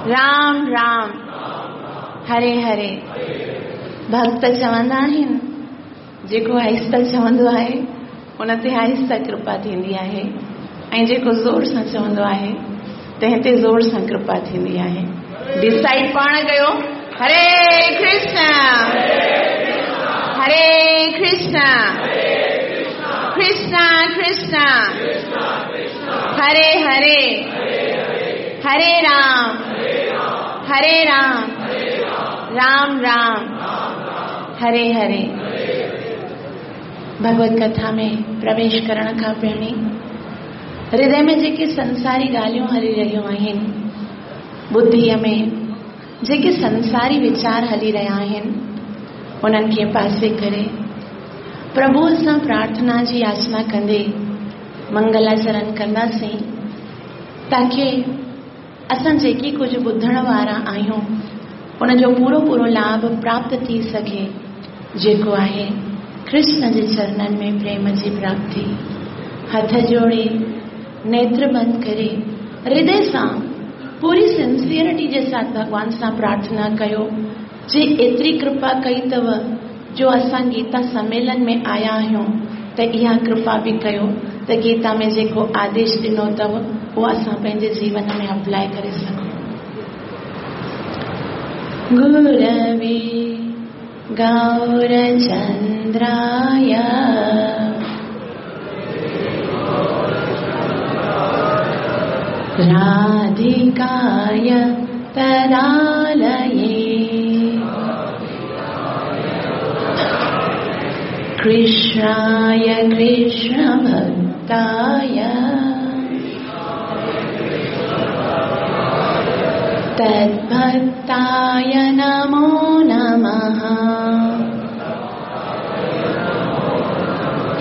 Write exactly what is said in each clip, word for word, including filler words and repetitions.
राम राम हरे हरे। भक्त चवंदा आहिनि, जेको आहिस्ता चवंदो आहे उन ते आहिस्ता कृपा थींदी आहे ऐं जेको ज़ोर सां चवंदो आहे तंहिं ते ज़ोर सां कृपा थींदी आहे। डिसाइड पाण कयो। हरे कृष्ण हरे कृष्ण कृष्ण कृष्ण हरे हरे, हरे राम हरे राम राम राम हरे हरे। भगवत कथा में प्रवेश करण खां पहिरीं हृदय में जेके संसारी ॻाल्हियूं हली रहियूं आहिनि, बुद्धिअ में जेके संसारी वीचार हली रहिया आहिनि, उन्हनि खे पासे करे प्रभुअ सां प्रार्थना जी याचना कंदे मंगलाचरण कंदासीं, ताकी असां जेकी कुझु ॿुधण वारा आहियूं उनजो पूरो पूरो लाभ प्राप्त थी सघे, जेको आहे कृष्ण जे चरणनि में प्रेम जी प्राप्ति। हथ जोड़े नेत्र बंद करे हृदय सां पूरी सिंसियरिटी जे साथ भॻवान सां प्रार्थना कयो, जे एतिरी कृपा कई अथव जो असां गीता सम्मेलन में आया आहियूं, त इहा कृपा बि कयो त गीता में जेको आदेश ॾिनो अथव उहो असां पंहिंजे जीवन में अप्लाई करे सघूं। गुरवे गौरचंद्राय राधिकाय तदालये कृष्णाय कृष्णभक्ताय तद्भक्ताय नमो नमः।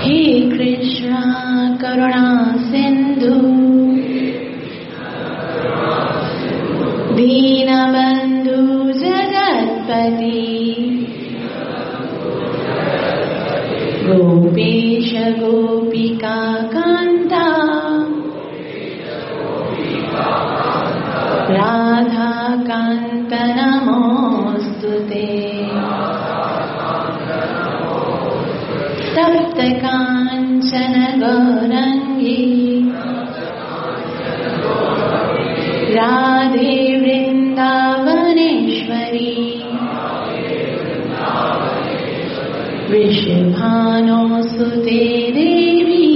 हे कृष्ण करुणा सिंधु दीनबंधु जगत्पति गोपेश गोपिका कांता राधा कांत नमोस्तुते। तप्त कांचन गौरंगी राधे वृंदावनेश्वरी वृषभानुसुते देवी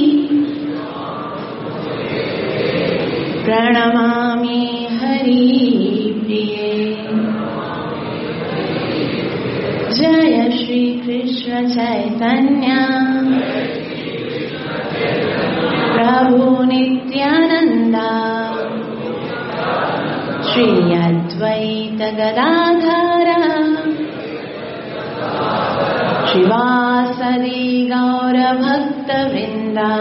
प्रणमामि हरिप्रिये। जय श्री कृष्ण चैतन्य प्रभु नित्यानंदा श्री अद्वैत गदाधर श्रीवासदि गौर भक्त वृंदा।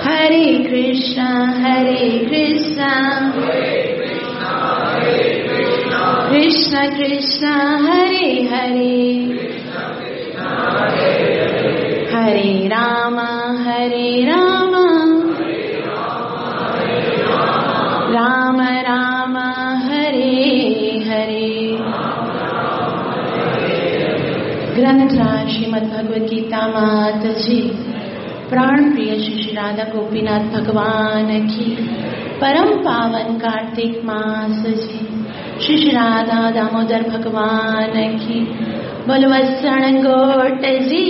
हरे कृष्ण हरे कृष्ण कृष्ण कृष्ण हरे हरे, हरे राम हरे राम राम राम हरे हरे। ग्रंथराज श्रीमद् भगवद गीता मात जी, प्राण प्रिय श्री राधा गोपीनाथ भगवान की, परम पावन कार्तिक मास जी, श्री श्री राधा दामोदर भगवान की, बोलवसण गोट जी।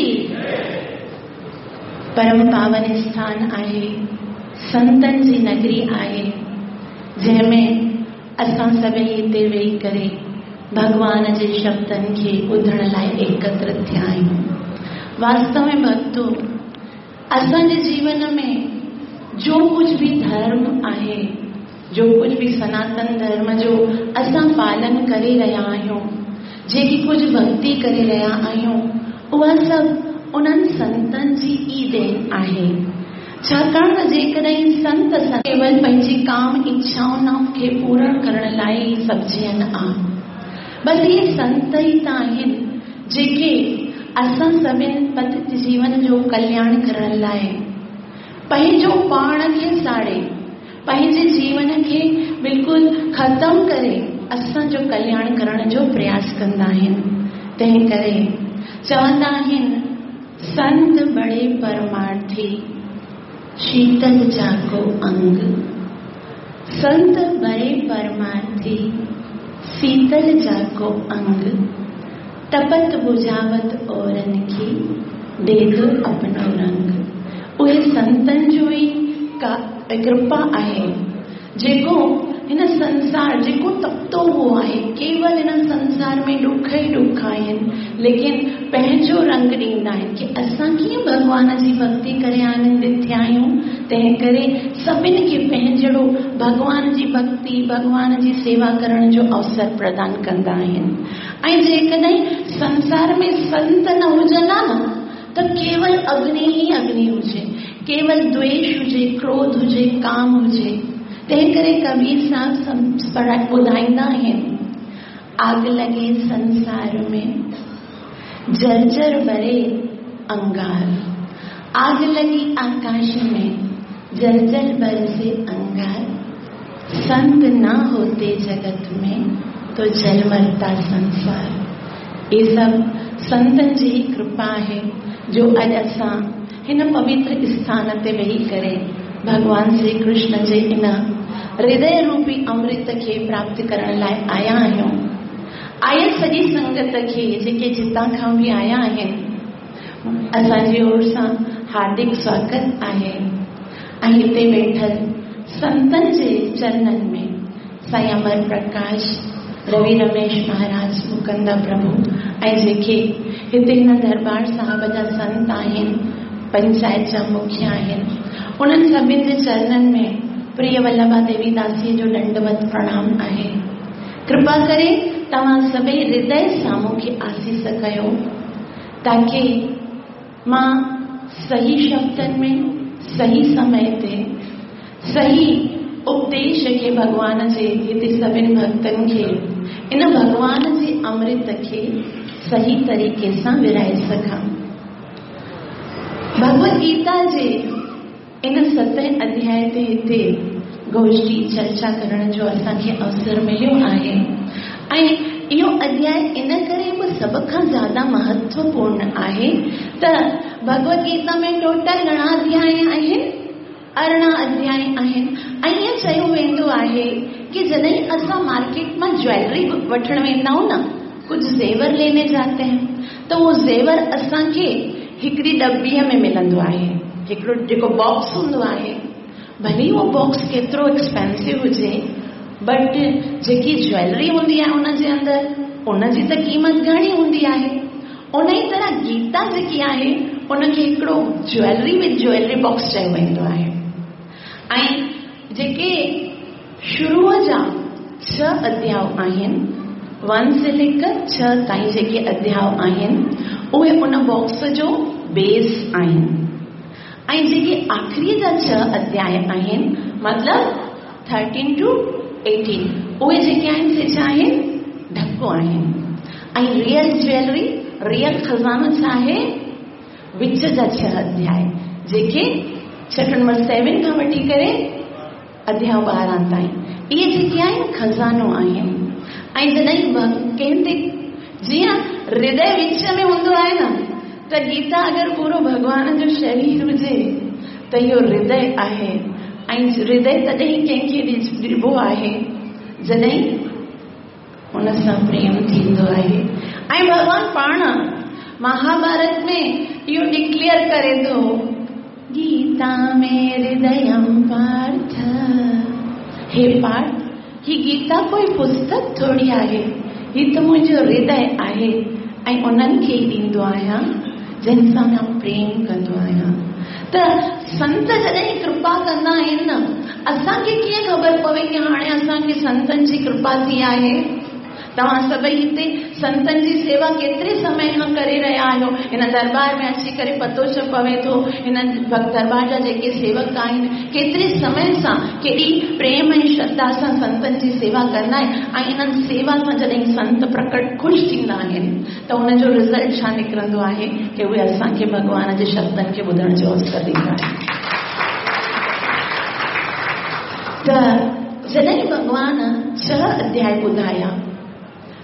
परम पावन स्थान आहे, संतन जी नगरी आहे, जंहिंमें असां सभई हिते वेही करे भॻवान जे शब्दनि खे ॿुधण लाइ एकत्र थिया आहियूं। वास्तव में भक्तो, असांजे जीवन में जो कुझु बि धर्म आहे, जो कुझु बि सनातन धर्म जो असां पालन करे रहिया आहियूं, जेकी कुझु भक्ति करे रहिया आहियूं, उहा सभु उन्हनि संतनि जी ई then आहे। छाकाणि त जेकॾहिं संत केवल पंहिंजी काम इच्छाउनि खे पूरण करण लाइ ई सभिजनि आ, बसि इहे संत ई त आहिनि जेके असां सभिनि पतित जीवन जो कल्याण करण लाइ पंहिंजो पाण खे साड़े, पंहिंजे जीवन खे बिल्कुलु ख़तमु करे असांजो कल्याण करण जो प्रयास कंदा आहिनि। तंहिं करे चवंदा आहिनि, संत बड़े परमार्थी शीतल जाको अंग, संत बड़े परमार्थी शीतल जाको अंग, तपत बुझावत औरन की दे दो अपनो रंग। उहे संतनि जो ई का कृपा आहे जेको हिन संसार जेको तपतो हुओ आहे, केवल हिन संसार में ॾुख ई ॾुख आहिनि, लेकिन पंहिंजो रंग ॾींदा आहिनि की असां कीअं भॻवान जी भक्ति करे आनंदित थिया आहियूं। तंहिं करे सभिनी खे पंहिंजो भॻवान जी भक्ति, भॻवान जी सेवा करण जो अवसर प्रदान कंदा आहिनि। ऐं जेकॾहिं संसार में संत न हुजनि हा न, त केवल अग्नि ई अग्नि हुजे, केवल द्वेष हुजे, क्रोध हुजे, काम हुजे। तंहिं करे कबीर साहब ॿुधाईंदा आहिनि, आग लगे संसार में जर्जर बरे अंगार, आग लगी आकाश में जलजल बरसे अंगार, संत ना होते जगत में तो जल मरता संसार। ये सब संतनि जी कृपा आहे जो अॼु असां हिन पवित्र स्थान ते वेही करे भॻवान श्री कृष्ण जे इन हृदय रूपी अमृत खे प्राप्त करण लाइ आया आहियूं। आयल सॼी संगत खे जेके जितां खां बि आया आहिनि, असांजी ओर सां हार्दिक स्वागत आहे। ऐं हिते वेठल संतनि जे चरणनि में साईं अमर प्रकाश, रवि रमेश महाराज, मुकंदा प्रभु ऐं जेके हिते हिन दरबार साहब जा संत आहिनि, पंचायत जा मुख्य आहिनि, उन्हनि सभिनी जे चरणनि में प्रिय वल्लभा देवीदासीअ जो दंडवत प्रणाम आहे। कृपा करे तव्हां सभई हृदय सां मूंखे आसीस कयो ताकि मां सही शब्दनि में सही समय ते सही उपदेश खे भॻवान जे हिते सभिनी भक्तनि खे इन भॻवान जे अमृत खे सही तरीक़े सां विराए सघां। भगवद गीता जे इन सतें अध्याय ते हिते गोष्ठी चर्चा करण जो असांखे अवसर मिलियो आहे ऐं इहो अध्याय इन करे बि सभ खां ज़्यादा महत्वपूर्ण आहे त भगवद गीता में टोटल घणा अध्याय आहिनि? अरिड़हं अध्याय आहिनि। ऐं ईअं चयो वेंदो आहे की जॾहिं असां मार्केट मां ज्वेलरी वठण वेंदा आहियूं न, कुझु ज़ेवर लेने जाते हैं, त उहो ज़ेवर असांखे हिकिड़ी डॿीअ में मिलंदो आहे, हिकिड़ो जेको बॉक्स हूंदो आहे, भले उहो बॉक्स केतिरो एक्सपेंसिव हुजे, बट जेकी ज्वेलरी हूंदी आहे उनजे अंदरि उनजी त क़ीमत घणी हूंदी आहे। उन ई तरह गीता जेकी आहे उनखे हिकिड़ो ज्वेलरी विद ज्वेलरी बॉक्स चयो वेंदो आहे। ऐं जेके शुरूअ जा छह अध्याय आहिनि, वन से लेकर छह ताईं जेके अध्याय आहिनि उहे उन बॉक्स जो बेस आहिनि। ऐं जेके आख़िरीअ जा छह अध्याय आहिनि, मतिलबु थर्टीन टू एटीन, उहे जेके आहिनि से छा आहिनि? ढको आहिनि। ऐं रियल ज्वेलरी, रियल ख़ज़ानो छा आहे? विच जा छह अध्याय जेके चैप्टर नंबर सेवन खां वठी करे अध्याय ॿारहं ताईं, इहे जेके आहिनि ख़ज़ानो आहिनि। ऐं जॾहिं कंहिं ते जीअं हृदय विच में हूंदो आहे न, त गीता अगरि पूरो भॻवान जो शरीर हुजे त इहो हृदय आहे। ऐं हृदय तॾहिं कंहिंखे ॾिबो आहे जॾहिं हुन सां प्रेम थींदो आहे। ऐं भॻवान पाण महाभारत में इहो डिक्लेयर करे थो, गीता में हृदयं पार्थ। हे पार्थ, ही गीता कोई पुस्तक थोरी आहे, ही त मुंहिंजो हृदय आहे ऐं उन्हनि खे ई ॾींदो आहियां जंहिं सां मां प्रेम कंदो आहियां। त संत जॾहिं कृपा कंदा आहिनि न, असांखे कीअं ख़बर पवे की हाणे असांखे संतनि जी कृपा थी आहे? तव्हां सभई हिते संतनि जी सेवा केतिरे समय खां करे रहिया आहियो? हिन दरबार में अची करे पतो छो पवे थो, हिन दरबार जा जेके सेवक आहिनि केतिरे समय सां केॾी प्रेम ऐं श्रद्धा सां संतनि जी सेवा कंदा आहिनि। ऐं इन्हनि सेवा सां जॾहिं संत प्रकट ख़ुशि थींदा आहिनि त हुनजो रिज़ल्ट छा निकिरंदो आहे की उहे असांखे भॻवान जे शब्दनि खे ॿुधण जो अवसर ॾींदा आहिनि। त जॾहिं भॻवान छह अध्याय ॿुधाया,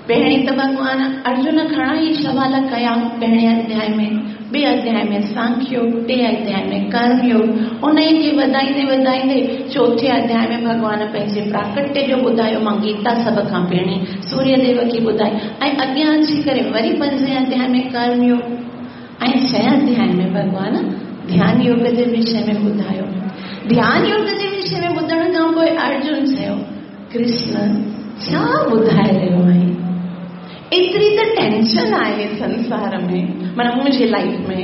पहिरीं त भॻवान अर्जुन घणा ई सवाल कया पहिरें अध्याय में, ॿिए अध्याय में सांख्य योग, टे अध्याय में कर्म योग, उन खे वधाईंदे वधाईंदे चोथे अध्याय में भॻवान पंहिंजे प्राकट्य जो ॿुधायो। मां गीता सभ खां पहिरीं सूर्यदेव खे ॿुधाई ऐं अॻियां अची करे वरी पंजे अध्याय में कर्म योग ऐं छह अध्याय में भॻवान ध्यान योग जे विषय में ॿुधायो। ध्यान योग जे विषय में ॿुधण खां पोइ अर्जुन चयो, कृष्ण छा ॿुधाए रहियो आहीं? एतिरी त टेंशन आहे संसार में, माना मुंहिंजी लाइफ में,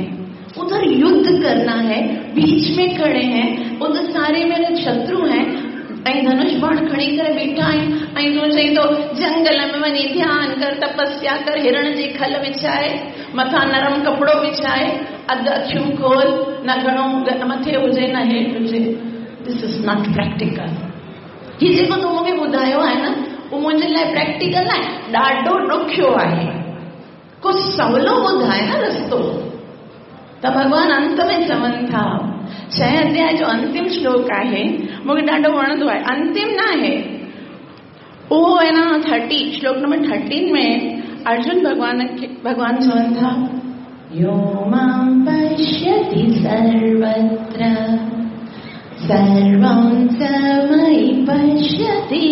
उधर युद्ध करना है, बीच में खड़े हैं, उधर सारे मेरे शत्रु हैं ऐं धनुष बाण खणी करे बीठा आहिनि ऐं तूं चई थो जंगल में वञी ध्यान कर, तपस्या कर, हिरण जी खल विछाए, मथां नरम कपिड़ो विछाए, अधु अखियूं खोल, न घणो मथे हुजे न हेठि हुजे। This is not practical. हीउ जेको तूं मूंखे ॿुधायो आहे न, उहो मुंहिंजे लाइ प्रैक्टिकल न आहे, ॾाढो ॾुखियो आहे। को सवलो ॿुधाए न रस्तो। त भॻवान अंत में चवनि था, छह अध्याय जो अंतिम श्लोक आहे, मूंखे ॾाढो वणंदो आहे। अंतिम न आहे उहो, आहे न थर्टी, श्लोक नंबर थर्टीन में अर्जुन भॻवान खे भॻवान चवनि था, यो मां पश्यति सर्वत्र सर्वं च मयि पश्यति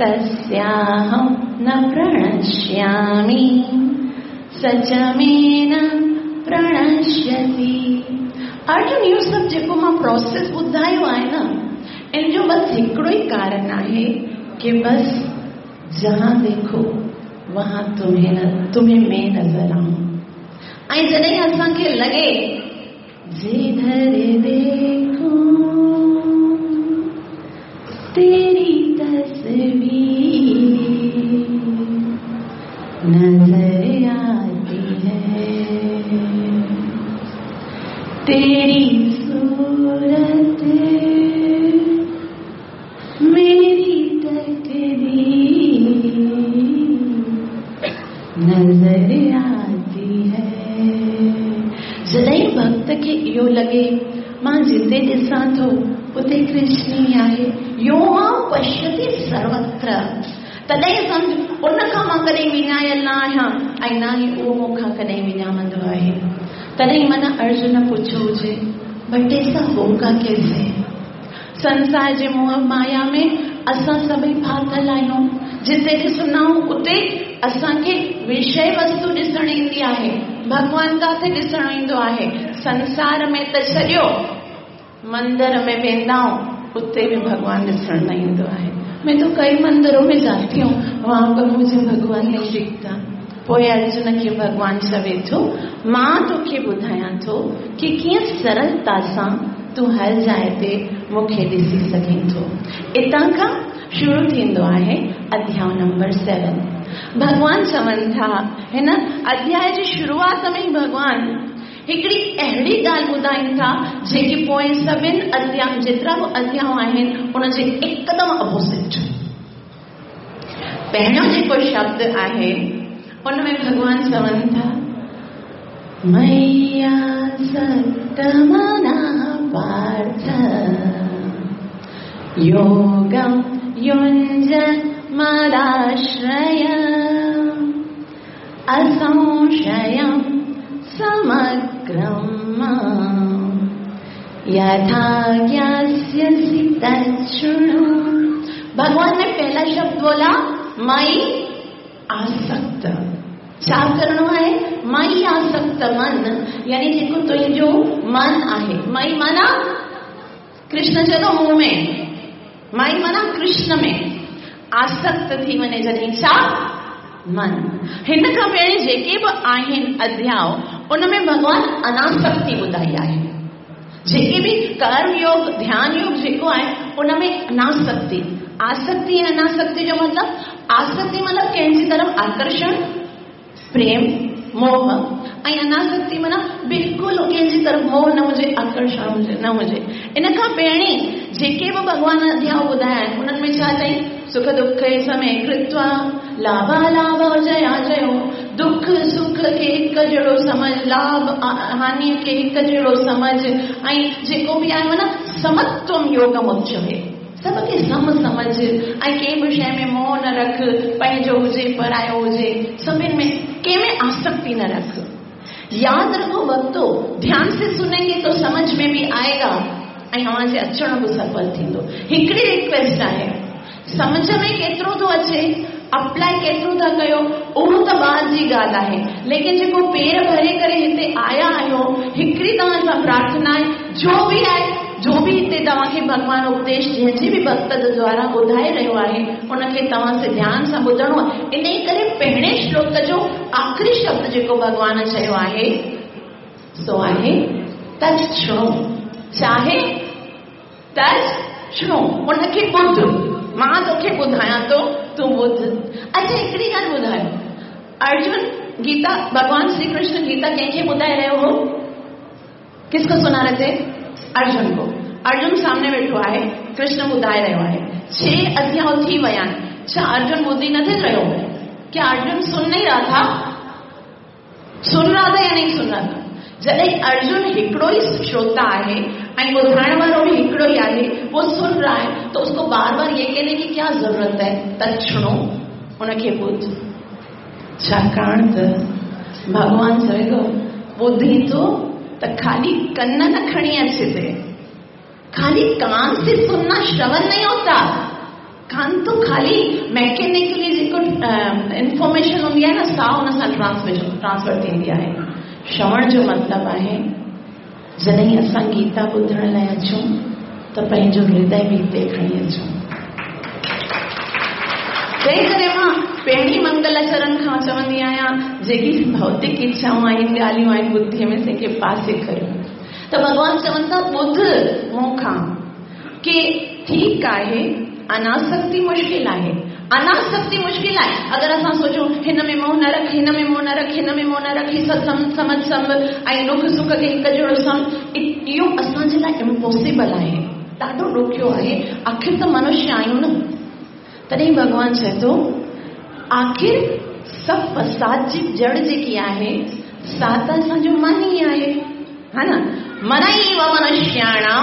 तस्याहं न प्रणश्यामि स च मे न प्रणश्यति। अर्जुन, इहो सभु जेको मां प्रोसेस ॿुधायो आहे न, इन जो बसि हिकिड़ो ई कारण आहे कि बस जहां देखो वहां तुम्हें न तुम्हें मैं नज़र आऊं। ऐं जॾहिं असांखे लॻे जिधर देखो तेरी तस्वीर नजर आती है, तेरी सूरत मेरी तकदीर नजर आती है। जॾहिं भक्त खे इहो लॻे मां जिते ॾिसां थो उते कृष्ण ई आहे, यो मां पश्यति सर्वत्र, तॾहिं सम्झ उन खां मां कॾहिं विञायल न आहियां ऐं न ई उहो मूंखां कॾहिं विञामंदो आहे। तॾहिं माना अर्जुन पुछो हुजे, बट ऐसा होगा कैसे? संसार जे मोह माया में असां सभई फाथल आहियूं। जिते ॾिसंदा आहियूं उते असांखे विषय वस्तु ॾिसण ईंदी आहे, भॻवान काथे ॾिसण ईंदो आहे? संसार में त छॾियो, मंदिर में वेंदा आहियूं उते बि भॻवान ॾिसण न ईंदो आहे। मैं तो कई मंदिरों में जाती हूँ, वहां पर मुझे भगवान नहीं दिखता। पोइ अर्जुन खे भॻवान चवे थो, मां तोखे ॿुधायां थो कि कीअं सरलता सां तूं हर जाइ ते मूंखे ॾिसी सघें थो। हितां खां शुरू थींदो आहे अध्याय नंबर सेवन। भॻवान चवनि था, हिन अध्याय जी शुरूआत में ई भॻवान हिकिड़ी अहिड़ी ॻाल्हि ॿुधाइनि था जेकी पोइ सभिनि अध्याय, जेतिरा बि अध्याय आहिनि उनजे एकदम अपोज़िट। पहिरियों जेको शब्द आहे उन में भॻवान चवनि था, मय्या सत्तमनः पार्थ योगं युञ्जन् मदाश्रय असंशयं समग्रं मां यथा ज्ञास्यसि तच्छृणु। भगवान ने पहला शब्द बोला मयि आसक्त। छा करणो आहे? मयि आसक्त मन, यानी जेको तुंहिंजो मन आहे। मयि माना कृष्ण चयो मूं में, मयि माना कृष्ण में आसक्त थी वञे जॾहिं छा मन। हिन खां पहिरीं जेके बि आहिनि अध्याय उन में भॻवान अनासक्ति ॿुधाई आहे। जेके बि कर्म योग ध्यान योग जेको आहे उन में अनासक्ति। आसक्ति ऐं अनासक्ति जो मतिलबु, आसक्ति मतिलबु कंहिंजी तरफ़ आकर्षण, प्रेम, मोह, ऐं अनासक्ति माना बिल्कुलु कंहिंजी तरफ़ मोह न हुजे, आकर्षण हुजे न हुजे। इन खां पहिरीं जेके बि भॻवान अध्याय ॿुधाया आहिनि उन्हनि में छा चई? सुख दुख समय कृत्वा लाभालाभ जया जयो, दुख सुख खे हिकु जहिड़ो समझ, लाभ हानि खे हिकु जहिड़ो समझ, ऐं जेको बि आहे माना समत्वम योगम उच्यते। सभ खे सम सम्झ ऐं कंहिं बि शइ में मोह न रख, पंहिंजो हुजे परायो हुजे, सभिनी में कंहिं में आसक्ति न रख। याद रखो भक्तो, ध्यान से सुनेंगे तो समझ में भी आएगा ऐं तव्हांजे अचण बि सफल थींदो। हिकिड़ी रिक्वेस्ट आहे, सम्झ में केतिरो थो अचे, अप्लाई केतिरो था कयो उहो त बाद जी ॻाल्हि आहे, लेकिन जेको पेर भरे करे हिते आया आहियो, हिकिड़ी तव्हां सां प्रार्थना आहे, जो बि आहे, जो बि हिते तव्हांखे भॻवान उपदेश जंहिंजे बि भक्त जे द्वारा ॿुधाए रहियो आहे, उनखे तव्हां से ध्यान सां ॿुधणो आहे। इन करे पहिरें श्लोक जो आख़िरी शब्द जेको भॻवान चयो आहे सो आहे तच्छृणु। छा आहे? तच्छृणु, उनखे ॿुध, मां तोखे ॿुधायां थो, तूं ॿुध। अच्छा हिकिड़ी ॻाल्हि ॿुधायो, अर्जुन गीता, भगवान श्री कृष्ण गीता कंहिंखे ॿुधाए रहियो हो? किसको सुना रहे थे? अर्जुन को। अर्जुन सामने वेठो आहे, कृष्ण ॿुधाए रहियो आहे। छह अध्याय थी विया आहिनि, छा अर्जुन ॿुधी नथी रहियो? क्या अर्जुन सुन नहीं रहा था? सुन रहा था या नहीं सुन रहा था? जॾहिं अर्जुन हिकिड़ो ई श्रोता आहे ऐं ॿुधाइण वारो बि हिकिड़ो ई आहे, वो सुन रहा है, तो उसको बार बार ये कहने की क्या जरूरत है? तच्छृणु, उनखे ॿुध। छाकाणि त भॻवान चवे थो ॿुधी थो त खाली कन न खणी अचे ते, खाली कान से सुनना श्रवण नहीं होता। कान तो खाली मैकेनिकली जेको इन्फॉर्मेशन हूंदी आहे न, सा हुन सां ट्रांसमिशन ट्रांसफर थींदी आहे। श्रवण जो मतिलबु आहे जॾहिं असां गीता ॿुधण लाइ अचूं त पंहिंजो हृदय बि हिते खणी अचूं। तंहिं करे मां पहिरीं मंगलाचरण खां चवंदी आहियां, जेकी भौतिक इच्छाऊं आहिनि, ॻाल्हियूं आहिनि बुद्धीअ में, तंहिंखे पासे करियो। त भॻवान चवनि था ॿुध मूंखां की ठीकु आहे, अनासक्ति मुश्किल आहे, अनासक्ति मुश्किल आहे। अगरि असां सोचूं हिन में मोह न रख, हिन में मोह न रख, हिन में मोह न रख, हीअ सभु सम्झ सम्झ ऐं दुख सुख खे हिकु जहिड़ो सम्झ, इहो असांजे लाइ इम्पॉसिबल आहे, ॾाढो ॾुखियो आहे। आख़िर त मनुष्य आहियूं न। तॾहिं भॻवान चए थो आख़िर सभु फसाद जी जड़ जेकी आहे सा त असांजो मन ई आहे, हा न? मन इव मनुष्याणां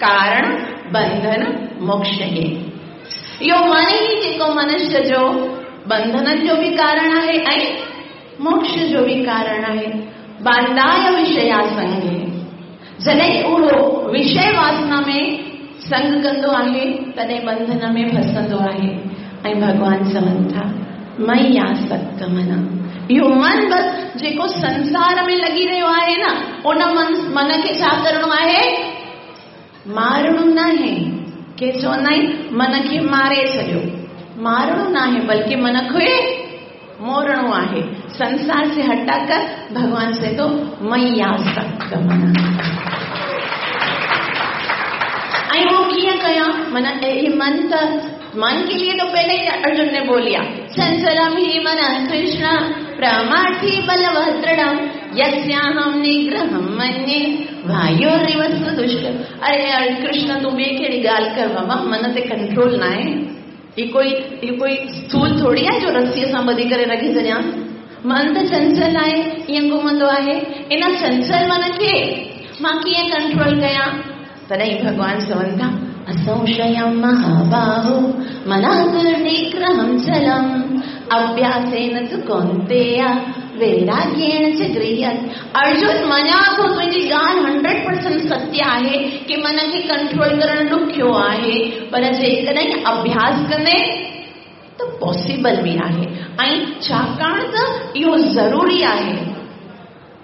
कारण बंधन मोक्ष हे। इहो मन ई जेको मनुष्य जो बंधननि जो बि कारण आहे ऐं मोक्ष जो बि कारण आहे। बांधाय विषया संगे, जॾहिं उहो विषय वासना में संग कंदो आहे तॾहिं बंधन में फसंदो आहे। ऐं भॻवान चवनि था मयि आसक्त मना, इहो मन बसि जेको संसार में लॻी रहियो आहे न, उन मन मन खे छा करिणो आहे? मारणो न आहे। के चवंदा आहिनि मन खे मारे छॾियो, मारणो न आहे बल्कि मन खे मोरणो आहे। संसार से हटाकर भगवान से तो मयि आसक्त मना। ऐं वो कीअं कयां? मन ए मन त मन के लिए तो पहले ही अर्जुन ने बोलिया, चंचलम ही मन कृष्ण प्रमाथि बलवद्रढ़म यस्याहं निग्रहं मन्ये वायुरिव सुदुष्ट। अरे कृष्ण तूं ॿिए कहिड़ी ॻाल्हि कर बाबा, मन ते कंट्रोल न आहे। ही कोई ही कोई स्थूल थोरी आहे जो रसीअ सां ॿधी करे रखी छॾियां। मन त चंचल आहे, ईअं घुमंदो आहे। इन चंचल मन खे मां कीअं कंट्रोल कयां? तॾहिं भॻवान चवनि था असंशयं महाबाहो मनः निग्रहं चलम् अभ्यासेन तु कौन्तेय वैराग्येण च गृह्यते। अर्जुन मञा थो तुंहिंजी ॻाल्हि हंड्रेड परसेंट सत्य आहे की मन खे कंट्रोल करणु ॾुखियो आहे, पर जेकॾहिं अभ्यास कंदे त पॉसिबल बि आहे। ऐं छाकाणि त इहो ज़रूरी आहे।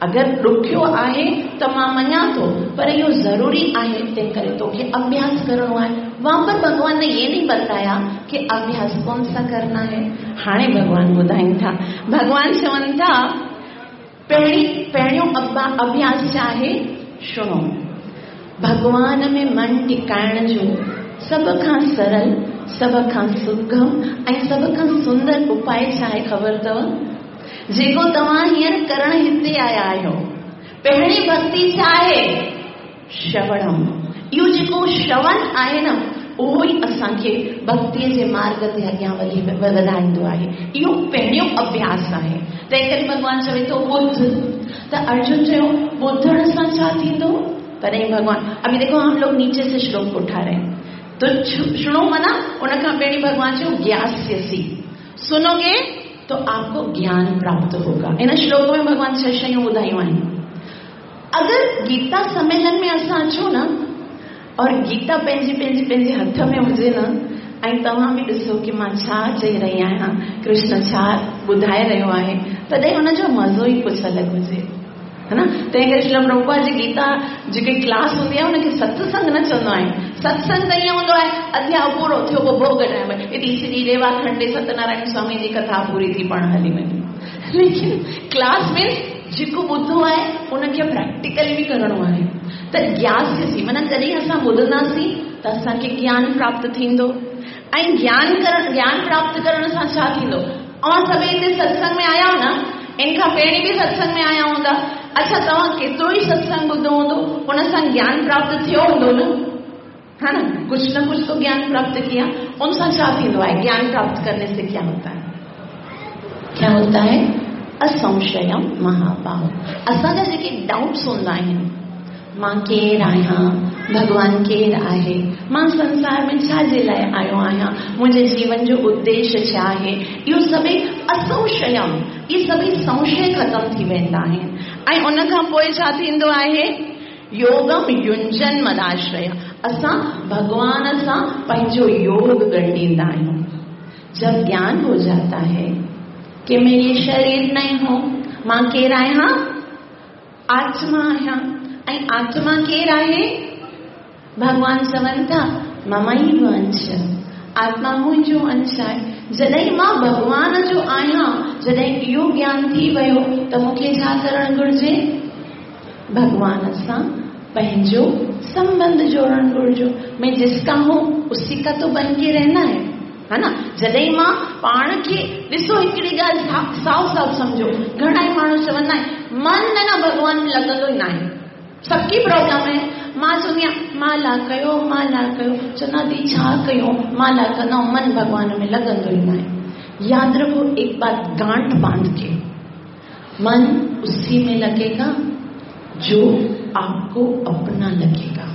अगरि ॾुखियो आहे त मां मञा थो, पर इहो ज़रूरी आहे, तंहिं करे तोखे अभ्यास करिणो आहे। वहां पर भगवान ने ये नहीं बताया कि अभ्यास कौन सा करना है। हाणे भगवान ॿुधाइनि था, भगवान चवनि था पहिरीं पहिरियों अभ्यास छा आहे? शुणो, भगवान में मन टिकाइण जो सभ खां सरल, सभ खां सुगम ऐं सभ खां सुंदर उपाय छा आहे ख़बर अथव? जेको तव्हां हींअर करण हिते आया आहियो। पहिरीं भक्ति छा आहे? श्रवणम। इहो जेको श्रवण आहे न, उहो ई असांखे भक्तीअ जे मार्ग ते अॻियां वधी वधाईंदो आहे। इहो पहिरियों अभ्यास आहे। तंहिं करे भॻवान चवे थो ॿुध। त अर्जुन चयो ॿुधण सां छा थींदो? तॾहिं भॻवान, अभी देखो हम लोग नीचे से श्लोक उठा रहे हैं। तो शुणु माना उन खां पहिरीं भॻवान चयो ज्ञास्यसि, सुनोगे तो आपको ज्ञान प्राप्त होगा। इन श्लोक में भॻवान छह शयूं ॿुधायूं आहिनि। अगरि गीता सम्मेलन में असां अचूं न और गीता पंहिंजी पंहिंजी पंहिंजे हथ में हुजे न, ऐं तव्हां बि ॾिसो की मां छा चई रही आहियां, कृष्ण छा ॿुधाए रहियो आहे, तॾहिं हुनजो मज़ो ई कुझु अलॻि हुजे, है न। तंहिं करे श्रील प्रभुपाद जी गीता जेकी क्लास हूंदी आहे हुनखे सत्संग न चवंदो आहे। सत्संग त ईअं हूंदो आहे, अध्याय पूरो थियो पोइ भोग टाइम इति श्री रेवाखंडे सत्यनारायण स्वामी जी कथा पूरी थी पाण हली वञे। लेकिन क्लास में जेको ॿुधो आहे उनखे प्रैक्टिकल बि करिणो आहे। त ज्ञास्यसि माना जॾहिं असां ॿुधंदासीं त असांखे ज्ञान प्राप्त थींदो, ऐं ज्ञान करण ज्ञान प्राप्त करण सां छा थींदो? ऐं सभई हिते सत्संग में आया न, इन खां पहिरीं बि सत्संग में आया हूंदा। अच्छा, तव्हां केतिरो ई सत्संग ॿुधो हूंदो, उन सां ज्ञान प्राप्त थियो हूंदो न, है ना? कुछ न कुछ तो ज्ञान प्राप्त किया। उन सां छा थींदो आहे? ज्ञान प्राप्त करने से क्या होता है? क्या होता है? असंशयम महाबाहो। असांजा जेके डाउट्स हूंदा आहिनि, मां केरु आहियां, भॻवान केरु आहे, मां संसार में छा जे लाइ आयो आहियां, मुंहिंजे जीवन जो उद्देश्य छा आहे, इहो सभई असंशयम, इहे सभई संशय ख़तमु थी वेंदा आहिनि। ऐं उन खां पोइ छा थींदो आहे? योगम युंजन मदाश्रय, असां भॻवान सां पंहिंजो योग ॻंढींदा आहियूं। जब ज्ञान हो जाता है कि मैं ये शरीर नहीं हूं, मां केरु आहियां? आत्मा आहियां। ऐं आत्मा केरु आहे? भॻवान चवनि था ममैव अंश, आत्मा मुंहिंजो अंश आहे। जॾहिं मां भॻवान जो आहियां, जॾहिं इहो ज्ञान थी वियो त मूंखे छा करणु घुरिजे? भॻवान सां पंहिंजो संबंध जोड़णु घुरिजो। मैं जिसका हूं उसी का तो बन के रहना है, है ना। जॾहिं मां पाण खे ॾिसो, हिकिड़ी ॻाल्हि साफ़ साफ़ सम्झो, घणा ई माण्हू चवंदा आहिनि मन न न भॻवान में लॻंदो ई न आहे, सबकी प्रॉब्लम है। मां चवंदी आहियां माला कयो माला कयो, चवंदा दी छा कयूं, माला कंदा मन भॻवान में लॻंदो ई न आहे। यादि रखो एक बात गांठ बांध के, मन उसी में लगेगा जो आपको अपना लगेगा।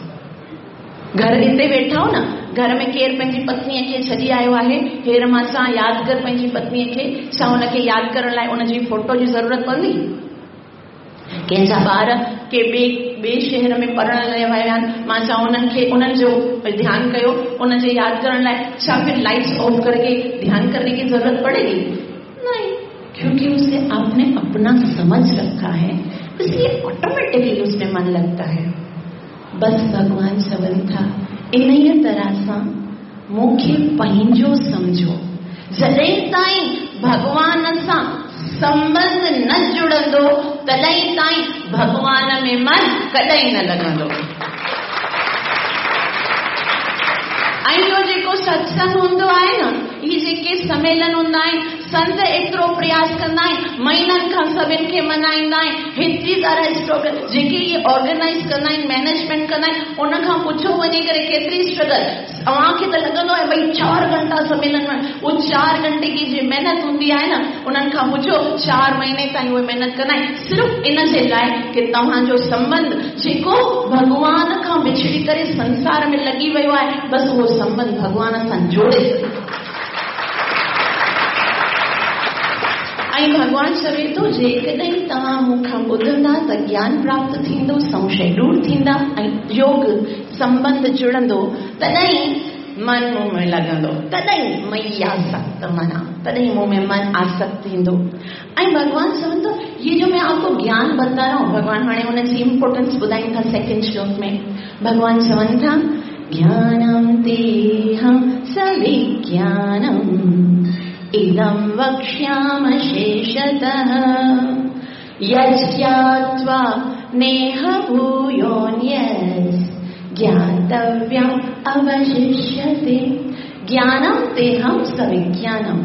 घर हिते वेठा हो न, घर में केरु पंहिंजी पत्नीअ खे छॾी आयो आहे, हेर मां छा यादि कर पंहिंजी पत्नीअ खे, छा हुनखे यादि करण लाइ उनजी फोटो जी ज़रूरत पवंदी? कंहिंजा ॿार के ॿिए ॿिए शहर में पढ़ण लाइ विया आहिनि, मां छा उन्हनि खे उन्हनि जो ध्यानु कयो, उनजे यादि करण लाइ छा फिर लाइट्स ऑफ करके ध्यान करने की जरूरत पड़ेगी? नहीं, क्योंकि उसे आपने अपना समझ रखा है, इसलिए ऑटोमेटिकली उसमें मन लगता है। बस भगवान चवनि था इन्हीअ तरह सां मूंखे पंहिंजो सम्झो। जॾहिं ताईं भॻवान सां संबंध न जुड़ंदो तॾहिं ताईं भॻवान में मन कॾहिं न लॻंदो। ऐं इहो जेको सत्संग हूंदो आहे न, इहे जेके सम्मेलन हूंदा आहिनि, संत एतिरो प्रयास कंदा आहिनि, महीननि खां सभिनि खे मल्हाईंदा आहिनि, हेतिरी तरह स्ट्रगल जेके इहे ऑर्गेनाइज़ कंदा आहिनि, मैनेजमेंट कंदा आहिनि, उन खां पुछो वञी करे केतिरी स्ट्रगल। तव्हांखे त लॻंदो आहे भई चारि घंटा सम्मेलन में, उहो चारि घंटे की जे महिनत हूंदी आहे न, उन्हनि खां पुछो चारि महीने ताईं उहे महिनत कंदा आहिनि, सिर्फ़ इन जे लाइ की तव्हांजो संबंध जेको भॻवान खां बिछड़ी करे संसार में लॻी वियो आहे, बसि उहो संबंध भॻवान सां जोड़े। ऐं भॻवान चवे थो जेकॾहिं तव्हां मूंखां ॿुधंदा त ज्ञान प्राप्त थींदो, संशय दूर थींदा ऐं योग संबंध जुड़ंदो, तॾहिं मन मूं में लॻंदो, तॾहिं मई आसक्त मना, तॾहिं मूं में मन आसक्त थींदो। ऐं भॻवान चवनि थो ये जो मैं आपको ज्ञान बता रहा हूं, भॻवान हाणे हुनजी इम्पोर्टेंस ॿुधाइनि था सेकंड श्लोक में। भॻवान चवनि था ज्ञानम तेऽहं सविज्ञानम् इदं वक्ष्यामि शेषतः यज्ञात्वा नेह भूयोऽन्यस् ज्ञातव्यम् अवशिष्यते। ज्ञानम तेऽहं सविज्ञानम्।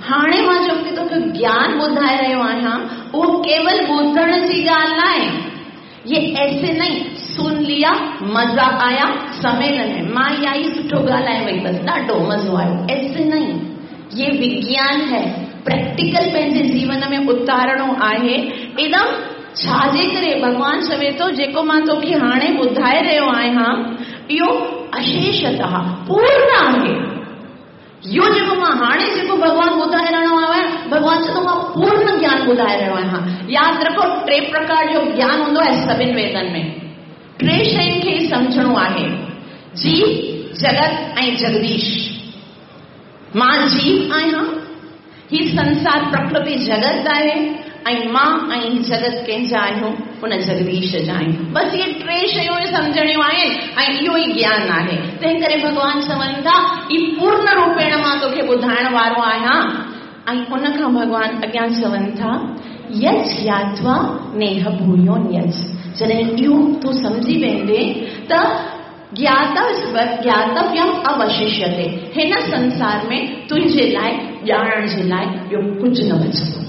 हाणे मां जेको तोखे ज्ञान ॿुधाए रहियो आहियां उहो केवल ॿुधण जी ॻाल्हि न आहे, ये ऐसे नहीं सुन लिया मज़ा आया सम्मेलन में मां इहा ई सुठो ॻाल्हाए वई बसि ॾाढो मज़ो आयो, ऐसे नहीं। ये विज्ञान है, प्रैक्टिकल पंहिंजे जीवन में उतारणो आहे। इदम छाजे करे भॻवान चवे थो जेको मां तोखे हाणे ॿुधाए रहियो आहियां इहो अशेषतः पूर्ण आहे। इहो जेको मां हाणे जेको भॻवान ॿुधाए रहियो आहियां, भॻवान चए थो मां पूर्ण ज्ञान ॿुधाए रहियो आहियां। यादि रखो, टे प्रकार जो ज्ञान हूंदो आहे सभिनी वेदनि में। टे शयुनि खे ई सम्झणो आहे, जीव, जगत ऐं जगदीश। मां जीव आहियां, ही संसार प्रकृति जगत आहे ऐं मां ऐं ही जगत कंहिंजा आहियूं? उन जगदीश जा आहियूं। बसि इहे टे शयूं सम्झणियूं आहिनि ऐं इहो ई ज्ञान आहे। तंहिं करे भॻवान चवनि था, ई पूर्ण रूपेण मां तोखे ॿुधाइण वारो आहियां। ऐं उन खां भॻवान अॻियां चवनि था, यज ज्ञात्वा नेह भूयोऽन्यज। जॾहिं इहो तूं सम्झी वेंदे त ज्ञातव्यम अवशिष्यते, हिन संसार में तुंहिंजे लाइ ॼाणण जे लाइ ॿियो कुझु न बचंदो।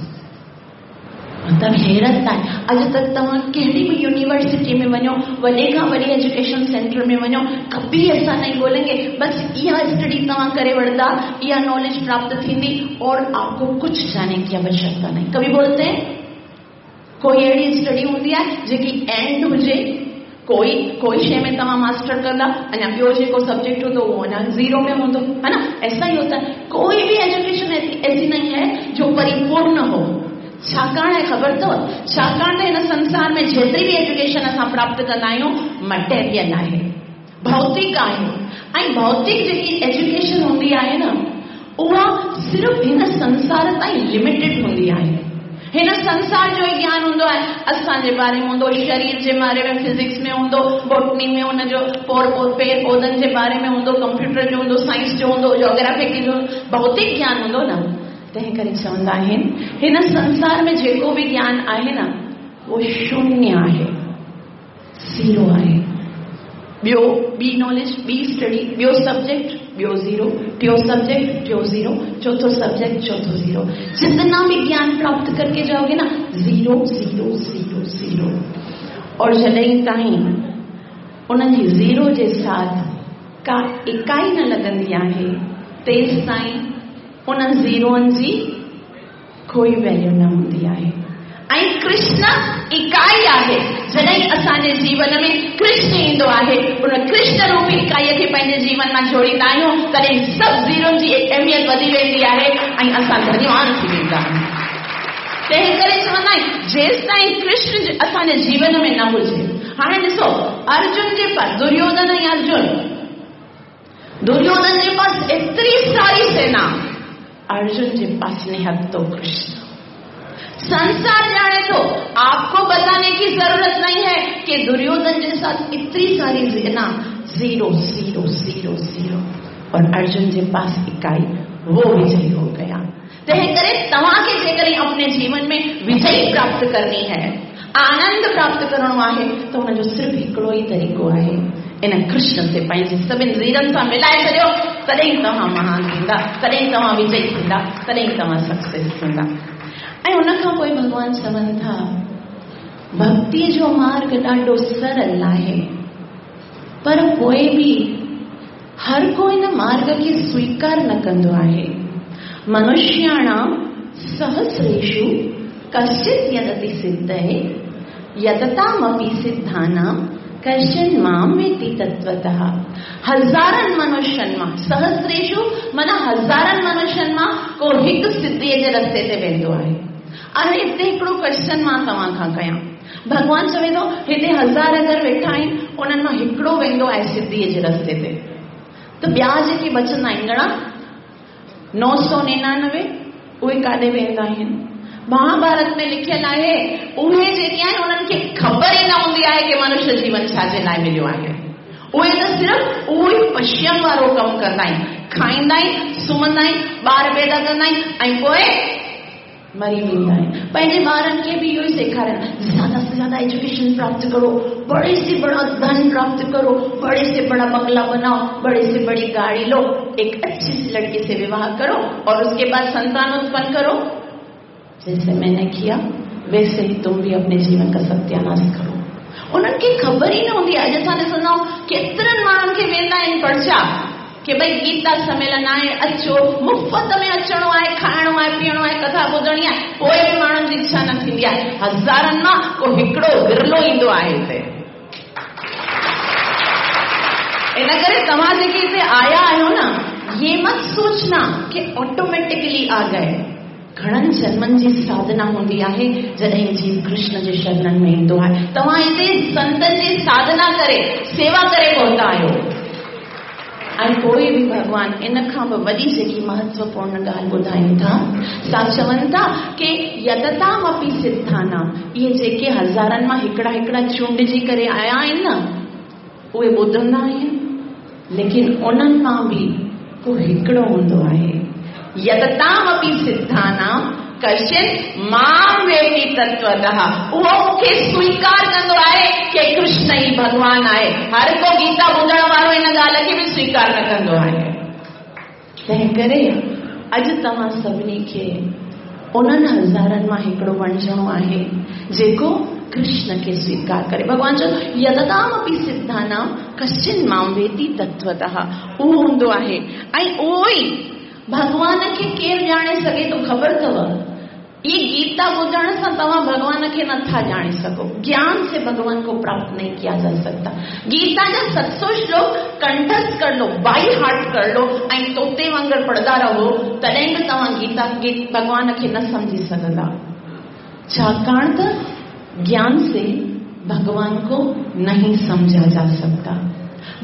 मतिलबु हैरत आहे, अॼु तक तव्हां कहिड़ी बि यूनिवर्सिटी में वञो, वॾे खां वॾी एजुकेशन सेंटर में वञो, कभी ऐसा नहीं बोलेंगे बस इहा स्टडी तव्हां करे वठंदा, इहा नॉलेज प्राप्त थींदी और आपको कुछ जाने की आवश्यकता नहीं। कभी बोलते हैं? कोई अहिड़ी स्टडी हूंदी आहे जेकी एंड हुजे, कोई कोई शइ में तव्हां मास्टर कंदा, अञा ॿियो जेको सब्जेक्ट हूंदो उहो अञा ज़ीरो में हूंदो, है ना? ऐसा ही होता है। कोई भी एजुकेशन ऐसी नहीं है जो परिपूर्ण हो। छाकाणि आहे ख़बर अथव, छाकाणि त हिन संसार में जेतिरी बि एजुकेशन असां प्राप्त कंदा आहियूं मटेरियल आहे, भौतिक आहे। ऐं भौतिक जेकी एजुकेशन हूंदी आहे न, उहा सिर्फ़ हिन संसार ताईं लिमिटेड हूंदी आहे। हिन संसार जो ई ज्ञान हूंदो आहे, असांजे बारे में हूंदो, शरीर जे बारे में फिज़िक्स में हूंदो, बॉटनी में हुनजो पोर पेड़ पौधनि जे बारे में हूंदो, कंप्यूटर जो हूंदो, साइंस जो हूंदो, जोग्राफी जो, भौतिक ज्ञान हूंदो न। तंहिं करे चवंदा आहिनि हिन संसार में जेको बि ज्ञान आहे न, उहो शून्य आहे, ज़ीरो आहे। ॿियो ॿी नॉलेज, ॿी स्टडी, ॿियो सब्जेक्ट, ॿियो ज़ीरो, टियों सब्जेक्ट, टियों ज़ीरो, चौथों सब्जेक्ट, चौथों ज़ीरो। जितना भी ज्ञान प्राप्त करके जाओगे ना, ज़ीरो ज़ीरो ज़ीरो ज़ीरो। और जॾहिं ताईं उन्हनि जी ज़ीरो जे साथ का इकाई न लॻंदी आहे, तेसि ताईं उन्हनि ज़ीरोनि जी कोई वैल्यू न हूंदी आहे। ऐं कृष्ण इकाई आहे। जॾहिं असांजे जीवन में कृष्ण ईंदो आहे, उन कृष्ण रूपी इकाईअ खे पंहिंजे जीवन मां जोड़ींदा आहियूं, तॾहिं सभु ज़ीरोनि जी अहमियत वधी वेंदी आहे ऐं असां धन्यवान थी वेंदा आहियूं। तंहिं करे चवंदा आहिनि जेसि ताईं कृष्ण असांजे जीवन में न हुजे। हाणे ॾिसो, अर्जुन जे पास, दुर्योधन ऐं अर्जुन, दुर्योधन जे पास एतिरी सारी सेना, अर्जुन जे पास निहत्तो कृष्ण। संसार जाने तो आपको बताने की जरूरत नहीं है कि दुर्योधन के साथ इतनी सारी सेना, जीरो जीरो जीरो जीरो, और अर्जुन के पास इकाई, वो विजयी हो गया। तंहिं करे तव्हांखे जेकॾहिं अपने जीवन में विजय प्राप्त करनी है, आनंद प्राप्त करणो आहे, त हुनजो सिर्फ़ हिकिड़ो ई तरीक़ो आहे, इन कृष्ण ते पंहिंजे सभिनी ज़ीरनि सां मिलाए छॾियो, तॾहिं तव्हां महान थींदा, तॾहिं तव्हां विजयी थींदा, तॾहिं तव्हां सक्सेस थींदा। ऐं उन खां पोइ भॻवान चवनि था, भक्ति जो मार्ग ॾाढो सरल आहे, पर पोइ बि हर को इन मार्ग खे स्वीकार न कंदो आहे। मनुष्याणां सहस्रेषु कश्चित् यतति सिद्धये यततामपि सिद्धानां कश्चन मां वेत्ति तत्त्वतः। हज़ारनि मनुष्यनि मां, सहस्रेषु माना हज़ारनि मनुष्यनि मां को हिकु सिद्धीअ जे रस्ते ते वेंदो आहे। हाणे हिते हिकिड़ो क्वेश्चन मां तव्हां खां कयां, भॻवान चवे थो हिते हज़ार अगरि वेठा आहिनि, उन्हनि मां हिकिड़ो वेंदो आहे सिद्धीअ जे रस्ते ते, त ॿिया जेके बचंदा आहिनि घणा? नौ सौ निन्यानवे, उहे काॾे वेंदा आहिनि? महाभारत में लिखियल आहे उहे जेके आहिनि उन्हनि खे ख़बर ई न हूंदी आहे की मनुष्य जीवन छा जे लाइ मिलियो आहे। उहे त सिर्फ़ उहो ई पशुअनि वारो कमु कंदा आहिनि, खाईंदा आहिनि, सुम्हंदा आहिनि, ॿार पैदा कंदा आहिनि ऐं पोइ मरी वेंदा आहिनि। पंहिंजे ॿारनि खे बि इहो ई सेखारणु, ज़्यादा से ज़्यादा एजुकेशन प्राप्त करो, बड़े से बड़ा धन प्राप्त करो, बड़े से बड़ा बंगला बनाओ, बड़े से बड़ी गाड़ी लो, एक अच्छी सी लड़की से विवाह करो और उसके बाद संतान उत्पन्न करो। जैसे मैंने किया वैसे ही तुम भी अपने जीवन का सत्यानाश करो। उन्हनि खे ख़बर ई न हूंदी आहे। अॼु असां ॾिसंदा आहियूं केतिरनि माण्हुनि खे वेंदा आहिनि पर्चा की भई गीता सम्मेलन आहे, अचो, मुफ़्त में अचिणो आहे, खाइणो आहे, पीअणो आहे, कथा ॿुधणी आहे, पोइ बि माण्हुनि जी इच्छा न थींदी आहे। हज़ारनि मां को हिकिड़ो विरलो ईंदो आहे हिते। इन करे तव्हां जेके हिते आया आहियो न, ये मत सोचना कि ऑटोमेटिकली आ गए। घणनि जन्मनि जी साधना हूंदी आहे जॾहिं जीव कृष्ण जे शरणनि में ईंदो आहे। तव्हां हिते संतनि जी साधना करे सेवा करे पहुता आहियो। ऐं पोइ बि भॻवान इन खां बि वॾी जेकी महत्वपूर्ण ॻाल्हि ॿुधाइनि था, सा चवनि था की यततामपि सिद्धानां, इहे जेके हज़ारनि मां हिकिड़ा हिकिड़ा चूंडिजी करे आया आहिनि न, उहे ॿुधंदा आहिनि, लेकिन उन्हनि मां बि को हिकिड़ो हूंदो आहे। यततामपि सिद्धानां कश्चित् मां वेति तत्वतः, उहो मूंखे स्वीकार कंदो आहे की कृष्ण ई भॻवान आहे। हर को गीता ॿुधण वारो इन ॻाल्हि खे बि स्वीकार न कंदो आहे। तंहिं करे अॼु तव्हां सभिनी खे उन्हनि हज़ारनि मां हिकिड़ो बणिजणो आहे जेको कृष्ण खे स्वीकार करे। भॻवान चयो यततामपि सिद्धानां कश्चित् मां वेति तत्वतः, उहो हूंदो आहे। ऐं उहो ई भॻवान खे केरु ॼाणे सघे थो? ख़बर अथव, ये गीता ॿुधण सां तव्हां भॻवान खे नथा ॼाणे सघो। ज्ञान से भगवान को प्राप्त नहीं किया जा सकता। गीता जा सत सौ श्लोक कंठस्थ कर लो, बाई हार्ट कर लो ऐं तोते वांगुरु पढ़ंदा रहो, तॾहिं बि तव्हां गीता भॻवान खे न सम्झी सघंदा। छाकाणि त ज्ञान से भगवान को नहीं समझा जा सकता।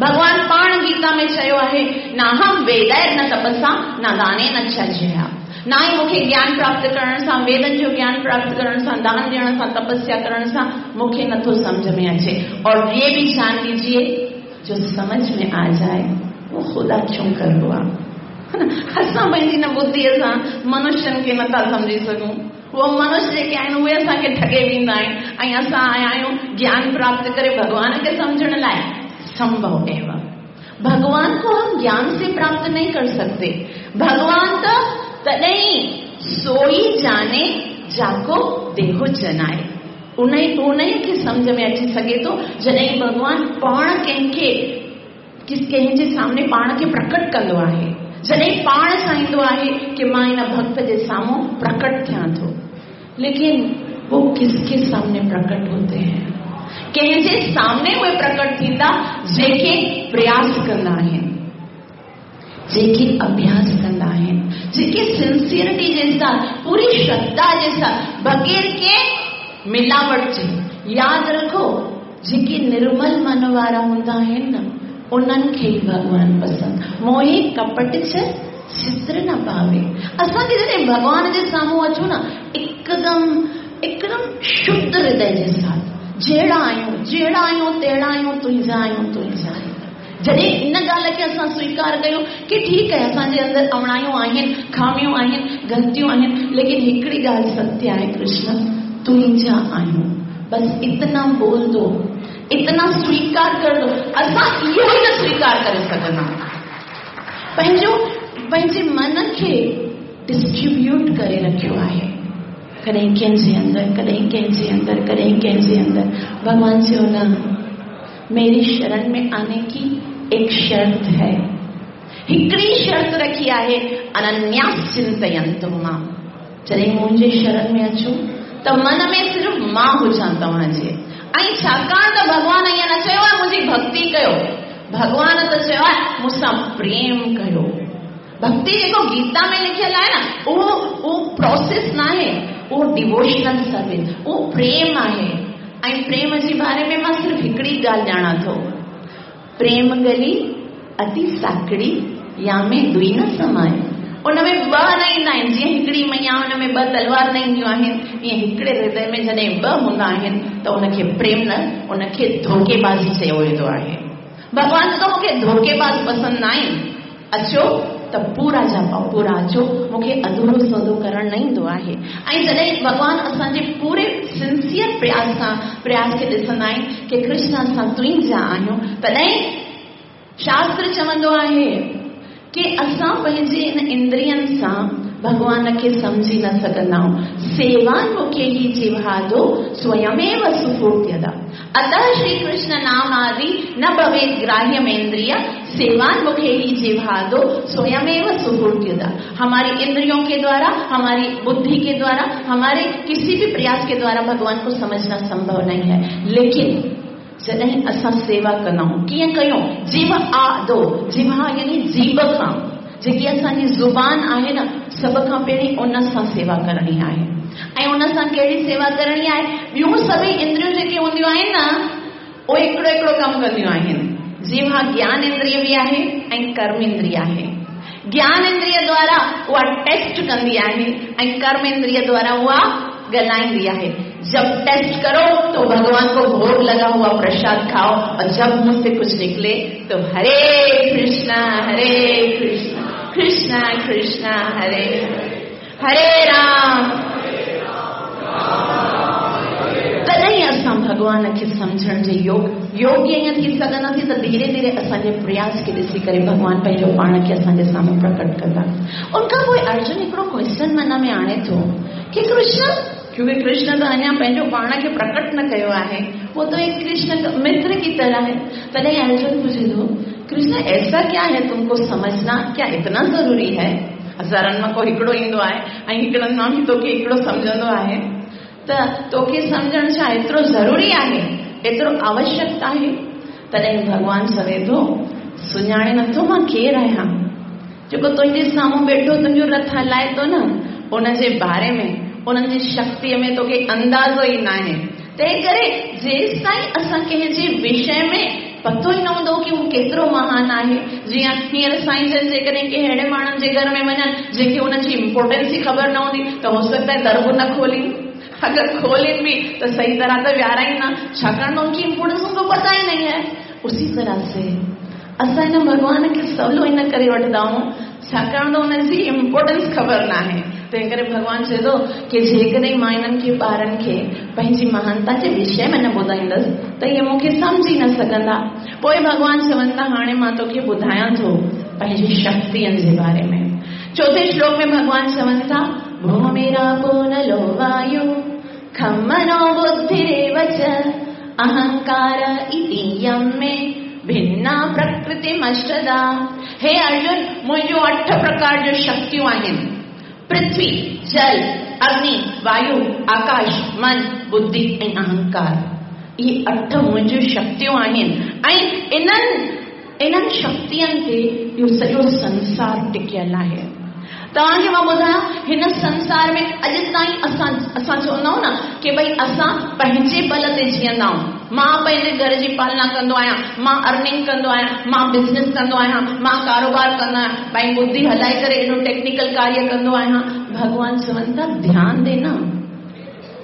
भगवान पाण गीता में चयो आहे, ना हम वेदैर न तपसा न दाने न यज्ञया। ना ई मूंखे ज्ञान प्राप्त करण सां, वेदनि जो ज्ञान प्राप्त करण सां, दान ॾियण सां, तपस्या करण सां मूंखे नथो सम्झ में अचे। और ये भी जान लीजिए, जो समझ में आ जाए वो खुदा क्यों कर हुआ। असां पंहिंजी न बुद्धीअ सां मनुष्यनि खे नथा सम्झी सघूं। उहो मनुष्य जेके आहिनि उहे असांखे ठगे वेंदा आहिनि ऐं असां आया आहियूं ज्ञान प्राप्त करे भॻवान खे सम्झण लाइ। संभव एवं भगवान को हम ज्ञान से प्राप्त नहीं कर सकते। भगवान तो तॾहिं सोई जाने जाको देहो जनाए। उन उन खे सम्झ में अची सघे थो जॾहिं भॻवान पाण कंहिंखे कंहिंजे सामने पाण खे प्रकट कंदो आहे, जॾहिं पाण चाहींदो आहे की मां इन भक्त जे साम्हूं प्रकट थियां थो। लेकिन वो किसके सामने प्रकट होते हैं? कंहिंजे सामने उहे प्रकट थींदा जेके प्रयास कंदा आहिनि, जेके अभ्यास कंदा आहिनि, जेके सिंसियरिटी जे साथ, पूरी श्रद्धा जे साथ, बग़ैर के मिलावट जे। यादि रखो, जेके निर्मल मन वारा हूंदा आहिनि न, उन्हनि खे ई भॻवान पसंदि। मोहे कपट च चित्र न भावे। असांखे जॾहिं भॻवान जे साम्हूं अचूं न, एकदम एकदम शुद्ध हृदय जे साथ, जहिड़ा आहियूं जहिड़ा आहियूं तहिड़ा आहियूं, तुंहिंजा आहियूं तुंहिंजा आहियूं। जॾहिं इन ॻाल्हि खे असां स्वीकार कयूं की ठीकु आहे, असांजे अंदरि अवणायूं आहिनि, ख़ामियूं आहिनि, ग़लतियूं आहिनि, लेकिन हिकिड़ी ॻाल्हि सत्य आहे, कृष्ण तुंहिंजा आहियूं। बसि इतना बोल दो, इतना स्वीकार कर दो। असां इहो ई न स्वीकार करे सघंदा। पंहिंजो पंहिंजे मन खे डिस्ट्रीब्यूट करे रखियो आहे, कॾहिं कंहिंजे अंदरि, कॾहिं कंहिंजे अंदरि, कॾहिं कंहिंजे अंदरि। भॻवान चयो न, मेरी शरण में आने की एक शर्त है। हिकिड़ी शर्त रखी आहे, अनन्यास चिंतयंतु मां। जॾहिं मुंहिंजे शरण में अचो त मन में सिर्फ़ मां हुजां तव्हांजे। ऐं छाकाणि त भॻवान ईअं न चयो आहे मुंहिंजी भक्ति कयो, भॻवान त चयो आहे मूंसां प्रेम कयो। भक्ति जेको गीता में लिखियलु आहे न, उहो उहो प्रोसेस न आहे, उहो डिवोशनल सर्विस, उहो प्रेम आहे। ऐं प्रेम जे बारे में मां सिर्फ़ हिकिड़ी ॻाल्हि ॼाणां थो, प्रेम गली अति साकड़ी या में दुई न समाए। उन में ॿ न ईंदा आहिनि, जीअं हिकिड़ी मैया उन में ॿ तलवार न ईंदियूं आहिनि, ईअं हिकिड़े हृदय में जॾहिं ॿ हूंदा आहिनि त उनखे प्रेम न, उनखे धोखेबाज़ी चयो वेंदो आहे। भॻवान त मूंखे धोखेबाज़ पसंदि न आहिनि। अचो त पूरा जा पूरा अचो, मूंखे अधूरो सौदो करणु न ईंदो आहे। ऐं जॾहिं भॻवान असांजे पूरे सिंसियर प्रयास सां प्रयास खे ॾिसंदा आहिनि की कृष्ण असां तुंहिंजा आहियूं, तॾहिं शास्त्र चवंदो आहे की असां पंहिंजे इन इंद्रियनि सां भॻवान खे सम्झी न सघंदा आहियूं। सेवान्मुखे ही जिह्वादो स्वयमेव सुफूर्त्यदा। अतः श्री कृष्ण नाम आदि न भवेत् ग्राह्यमेन्द्रिय सेवान्मुखे ही जिह्वादो स्वयमेव सुफूर्त्यदा। हमारी इंद्रियों के द्वारा, हमारी बुद्धि के द्वारा, हमारे किसी भी प्रयास के द्वारा भगवान को समझना संभव नहीं है, लेकिन जॾहिं असां सेवा कंदा आहियूं, कीअं कयूं? जीव आदो, जिह्वा यानी जीभ खां, जेकी असांजी ज़ुबान आहे न, सभ खां पहिरीं उन सां सेवा करणी आहे। ऐं उन सां कहिड़ी सेवा करणी आहे? ॿियूं सभई इंद्रियूं जेकी हूंदियूं आहिनि न, उहे हिकिड़ो हिकिड़ो कमु कंदियूं आहिनि। जिह्वा ज्ञान इंद्रिय बि आहे ऐं कर्म इंद्रिय आहे। ज्ञान इंद्रिय द्वारा उहा टेस्ट कंदी आहे ऐं कर्म इंद्रिय द्वारा उहा ॻाल्हाईंदी आहे। जब टेस्ट करो तो भगवान को भोग लगा हुआ प्रसाद खाओ, और जब मुझसे कुछ निकले तो हरे कृष्णा हरे कृष्णा कृष्णा कृष्णा हरे हरे राम। तॾहिं असां भॻवान खे सम्झण जे योग योग्य ईअं थी सघंदासीं त धीरे धीरे असांजे प्रयास खे ॾिसी करे भॻवान पंहिंजो पाण खे असांजे साम्हूं प्रकट कंदा। उनखां पोइ अर्जुन हिकिड़ो क्वेश्चन मन में आणे थो कि कृष्ण, क्योंकि कृष्ण त अञा पंहिंजो पाण खे प्रकट न कयो आहे, वो तो एक कृष्ण मित्र की तरह है। तॾहिं अर्जुन पुछे थो, कृष्ण ऐसा क्या है तुमको समझना क्या इतना जरूरी है? हज़ारनि मां को हिकिड़ो ईंदो आहे ऐं हिकिड़नि मां बि तोखे हिकिड़ो सम्झंदो आहे, त तोखे सम्झणु छा एतिरो ज़रूरी आहे, एतिरो आवश्यक आहे? तॾहिं भॻवान चवे थो, सुञाणे नथो मां केरु आहियां, जेको तुंहिंजे साम्हूं वेठो तुंहिंजो रथ हलाए थो न, उनजे बारे में उन्हनि जी शक्तीअ में तोखे अंदाज़ो ई न आहे। तंहिं करे जेसि ताईं असां कंहिंजे विषय में पतो ई न हूंदो की हू केतिरो महान आहे। जीअं हींअर साईं जन जेकॾहिं कंहिं अहिड़े माण्हुनि जे घर में वञनि जंहिंखे उन्हनि जी इम्पोर्टेंस ई ख़बर न हूंदी, त हो सकता है दर बि न खोलीनि, अगरि खोलीनि बि त सही तरह त विहाराइनि न, छाकाणि त उनकी इम्पोर्टेंस उनको पता ही नहीं है। उसी तरह से असां हिन भॻवान खे सवलो इन करे वठंदा आहियूं, छाकाणि त हुनजी इम्पोर्टेंस ख़बर न आहे। तंहिं करे भॻवान चए थो की जेकॾहिं मां हिननि खे ॿारनि खे पंहिंजी महानता जे विषय में न ॿुधाईंदसि त इहे मूंखे सम्झी न सघंदा। पोइ भॻवान चवनि था, हाणे मां तोखे ॿुधायां थो पंहिंजी शक्तियुनि जे बारे में। चौथे श्लोक में भॻवान चवनि था, भूमिरापो नलो वायु खं मनो बुद्धिरेव च अहंकार इति यं मे भिन्ना प्रकृतिमष्टदा। हे अर्जुन, मुंहिंजूं अठ प्रकार जूं शक्तियूं आहिनि, पृथ्वी, जल, अग्नि, वायु, आकाश, मन, बुद्धि ऐं अहंकार। इहे अठ मुंहिंजूं शक्तियूं आहिनि ऐं इन्हनि इन्हनि शक्तियुनि ते इहो सॼो संसार टिकियल आहे। तव्हांखे मां ॿुधायां, हिन संसार में अॼु ताईं असां असां चवंदा आहियूं न की भई असां पंहिंजे बल ते जीअंदा आहियूं। मां पंहिंजे घर जी पालना कंदो आहियां, मां अर्निंग कंदो आहियां, मां बिज़नेस कंदो आहियां, मां कारोबार कंदो आहियां, भई बुद्धि हलाए करे एॾो टेक्निकल कार्य कंदो आहियां। भॻवान चवनि था, ध्यान देना,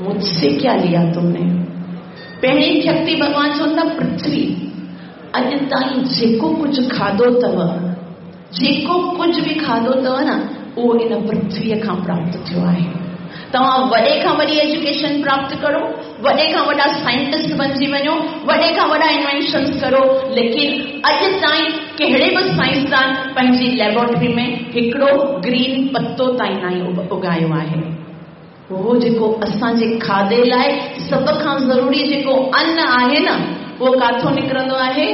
मुझसे क्या लिया तुमने? पहिरीं शक्ति भॻवान चवनि था पृथ्वी। अॼु ताईं जेको कुझु खाधो अथव, जेको कुझु बि खाधो अथव न, उहो इन पृथ्वीअ खां प्राप्त थियो आहे। तव्हां वॾे खां वॾी एजुकेशन प्राप्त करो, वॾे खां वॾा साइंटिस्ट बणिजी वञो, वॾे खां वॾा इन्वेंशन्स करो, लेकिन अॼु ताईं कहिड़े बि साइंसदान पंहिंजी लेबोरेटरी में हिकिड़ो ग्रीन पत्तो ताईं न उगायो आहे। उहो जेको असांजे खाधे लाइ सभ खां ज़रूरी जेको अन्न आहे न, उहो काथों निकिरंदो आहे?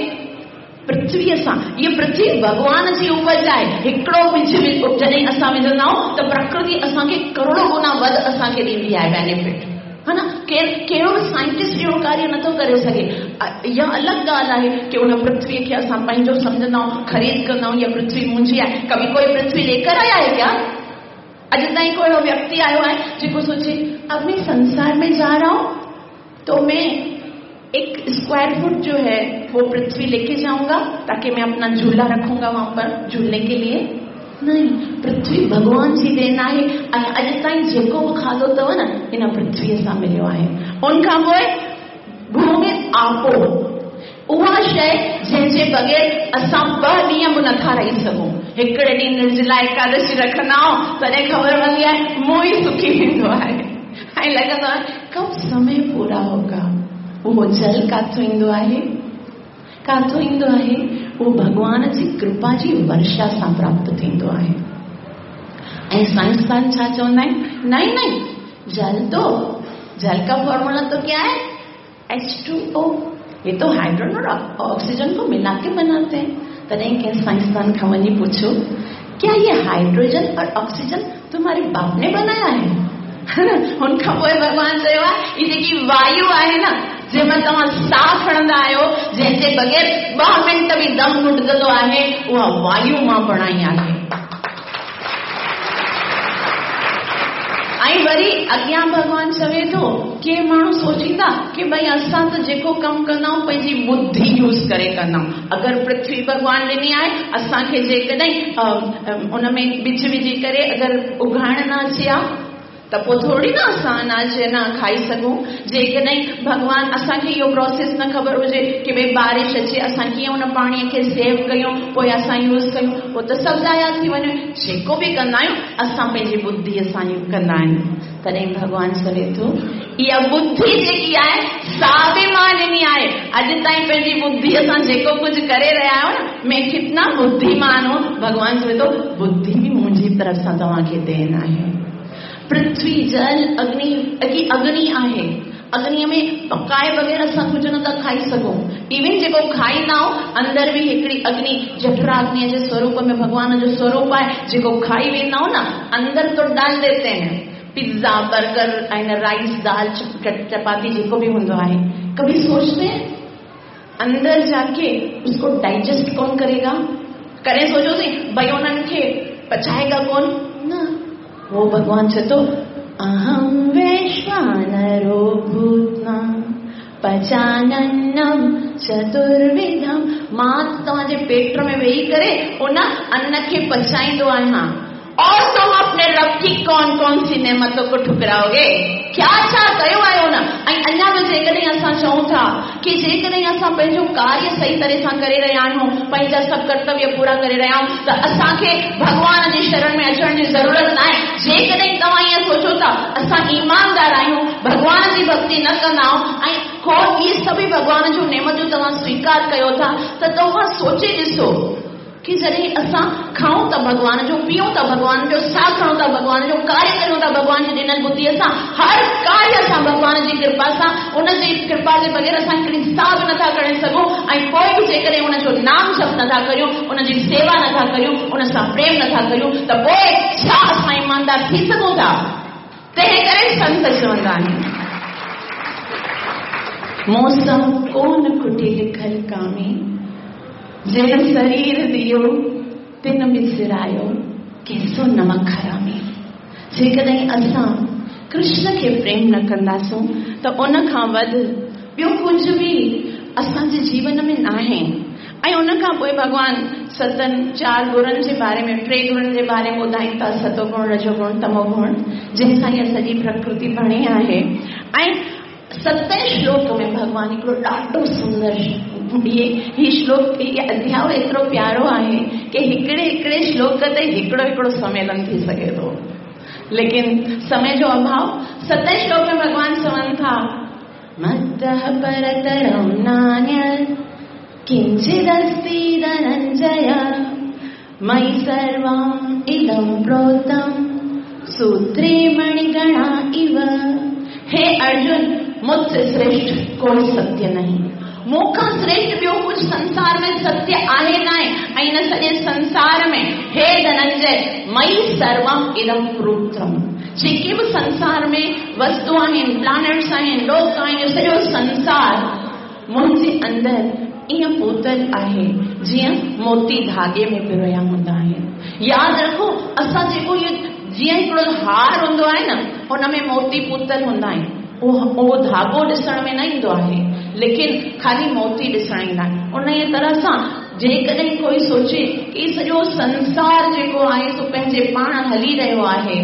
पृथ्वीअ सां। इहा पृथ्वी भॻवान जी उपज आहे। हिकिड़ो बिज जॾहिं असां विझंदा आहियूं त प्रकृति असांखे करोड़ो गुना वध असांखे ॾींदी आहे बेनिफिट, हा न? केरु कहिड़ो बि साइंटिस्ट अहिड़ो कार्य नथो करे सघे। इहा अलॻि ॻाल्हि आहे की उन पृथ्वीअ खे असां पंहिंजो सम्झंदा आहियूं, ख़रीद कंदा आहियूं, इहा पृथ्वी मुंहिंजी आहे। कभी कोई पृथ्वी लेकर आया है क्या? अॼु ताईं को अहिड़ो व्यक्ति आयो आहे जेको सोचे अब मैं संसार में जा रहा हूँ तो मैं एक स्क्वायर फुट जो है वो पृथ्वी लेके जाऊंगा ताकि मैं अपना झूला रखूंगा वहां पर झूलने के लिए? नहीं, पृथ्वी भॻवान जी then आहे। ऐं अॼु ताईं जेको बि खाधो अथव न, इन पृथ्वीअ सां मिलियो आहे। उन खां पोइ भूमि आपो, उहा शइ जंहिंजे बग़ैर असां ॿ ॾींहं बि नथा रही सघूं। हिकिड़े ॾींहुं निर्जला एकादशी रखंदा आहियूं, तॾहिं ख़बर पवंदी आहे मुंहुं ई सुकी वेंदो आहे ऐं लॻंदो आहे कब समय पूरा होगा। उहो जल काथों ईंदो आहे? काथों ईंदो आहे? उहो भॻवान जी कृपा जी वर्षा सां प्राप्त थींदो आहे। ऐं साइंसदान छा चवंदा आहिनि? नहीं नहीं, जल तो, जल का फॉर्मूला तो क्या है? H two O. ये तो हाइड्रोजन और ऑक्सीजन को मिला के बनाते हैं। तॾहिं कंहिं साइंसदान खां वञी पुछो, क्या ये हाइड्रोजन और ऑक्सीजन तुम्हारे बाप ने बनाया है? हुन खां पोइ भॻवान चयो आहे, हीअ जेकी वायु आहे न, जंहिं मां तव्हां साह खणंदा आहियो, जंहिंजे बग़ैर ॿ मिंट बि दम घुटजंदो आहे, उहा वायु मां बणाई आहे। ऐं वरी अॻियां भॻवान चवे थो, के माण्हू सोचींदा की भई असां त जेको कमु कंदा आहियूं पंहिंजी बुद्धि यूज़ करे कंदा आहियूं। अगरि पृथ्वी भॻवान ॾिनी आहे असांखे, जेकॾहिं उन में ॿिज विझी करे अगरि उगाइण न अचे हा त पोइ थोरी न असां अनाज न खाई सघूं। जेकॾहिं भॻवान असांखे इहो प्रोसेस न ख़बर हुजे की भई बारिश अचे असां कीअं उन पाणीअ खे सेव कयूं पोइ असां यूज़ कयूं, पोइ त सभु ज़ाया थी वञे। जेको बि कंदा आहियूं असां पंहिंजी बुद्धीअ सां कंदा आहियूं। तॾहिं भॻवान चवे थो इहा बुद्धि जेकी आहे सा बि मां ॾिनी आहे। अॼु ताईं पंहिंजी बुद्धीअ सां जेको कुझु करे रहिया आहियो न, मैं कितना बुद्धिमान हूं। भॻवान चवे थो बुद्धि बि मुंहिंजी तरफ़ सां तव्हांखे then आहे। पृथ्वी जल अग्नि, अग्नि आहे, अग्निअ में पकाए बग़ैर असां कुझु नथा खाई सघूं। इवन जेको खाईंदा आहियूं अंदरि बि हिकिड़ी अग्नि जठराग्निअ जे स्वरूप में भॻवान जो स्वरूप आहे, जेको खाई वेंदा आहियूं न अंदरि तो डाल देते हैं। पिज़्ज़ा बर्गर ऐं राइस दाल चपाती जेको बि हूंदो आहे, कभी सोचते हैं अंदर जाके उसको डाइजेस्ट कौन करेगा? करे सोचोसीं भई उन्हनि खे पचाएगा कौन? न, वो भगवान चए थो अहं वैश्वानरो भूत्वा पचानन्नं चतुर्विधं। मां तव्हांजे पेट में वेही करे उन अन्न खे पचाईंदो आहियां। और तुम अपने रब की कौन कौन सी नेमतों को ठुकराओगे? क्या छा कयो आहे उन? ऐं अञा बि जेकॾहिं असां चऊं था की जेकॾहिं असां पंहिंजो कार्य सही तरह सां करे रहिया आहियूं, पंहिंजा सभु कर्तव्य पूरा करे रहिया आहियूं, त असांखे भॻवान जी शरण में अचण जी ज़रूरत न आहे। जेकॾहिं तव्हां ईअं सोचो था असां ईमानदार आहियूं, भॻवान जी भक्ति न कंदा आहियूं ऐं को इहे सभई भॻवान जूं नेमतूं तव्हां स्वीकार कयो था, त तव्हां सोचे ॾिसो कि जॾहिं असां खाऊं था भॻवान जो, पीऊं था भॻवान जो, साह खणूं था भॻवान जो, कार्य कयूं था भॻवान जी ॾिनल बुद्धीअ सां, हर कार्य असां भॻवान जी कृपा सां, उन जी कृपा जे बग़ैर असां हिकिड़ी साह बि नथा खणी सघूं। ऐं पोइ बि जेकॾहिं उनजो नाम जप नथा करियूं, उनजी सेवा नथा करियूं, उन सां प्रेम नथा करियूं, त पोइ छा असां ईमानदार थी सघूं था? तंहिं करे संत चवंदा आहिनि मौसम कोन कुटी लिखल कामी, जिन शरीर दियो तिन बिसरायो कैसो नमक हरामी। जेकॾहिं असां कृष्ण खे प्रेम न कंदासूं त उन खां वधि ॿियो कुझु बि असांजे जीवन में नाहे। ऐं उन खां पोइ भॻवान सतनि चारि गुणनि जे बारे में, टे गुणनि जे बारे में ॿुधाइनि था, सतोगुण, रजोगुण, तमोगुण, जंहिंसां इहा सॼी प्रकृति बणी आहे। ऐं सतें श्लोक में भॻवान हिकिड़ो ॾाढो सुंदर ये ही श्लोक, ये अध्याय एतिरो प्यारो आहे की हिकिड़े हिकिड़े श्लोक ते हिकिड़ो हिकिड़ो सम्मेलन थी सघे थो, लेकिन समय जो अभाव। सतें श्लोक में भॻवान चवनि था मत्तः परतरं नान्यत् किंचिदस्ति धनञ्जय मयि सर्वम् इदं प्रोतं सूत्रे मणिगणा इव। हे अर्जुन, मुझसे श्रेष्ठ कोई सत्य नहीं, मूंखां श्रेष्ठ ॿियो कुझु संसार में सत्य आहे न आहे। ऐं हिन सॼे संसार में हे धनंजय मयि सर्वम इदं प्रोक्तम, जेके बि संसार में वस्तु आहिनि, प्लैनेट्स आहिनि, लोक आहिनि, सॼो संसार मुंहिंजे अंदरि ईअं पोतल आहे जीअं मोती धागे में पिरोया हूंदा आहिनि। यादि रखो, असां जेको इहो जीअं हिकिड़ो हार हूंदो आहे न, हुन में मोती पुतल हूंदा आहिनि, उहो धागो ॾिसण में न ईंदो आहे, लेकिन ख़ाली मोती ॾिसण ईंदा आहिनि। उन ई तरह सां जेकॾहिं कोई सोचे की सॼो संसार जेको आहे सो पंहिंजे पाण हली रहियो आहे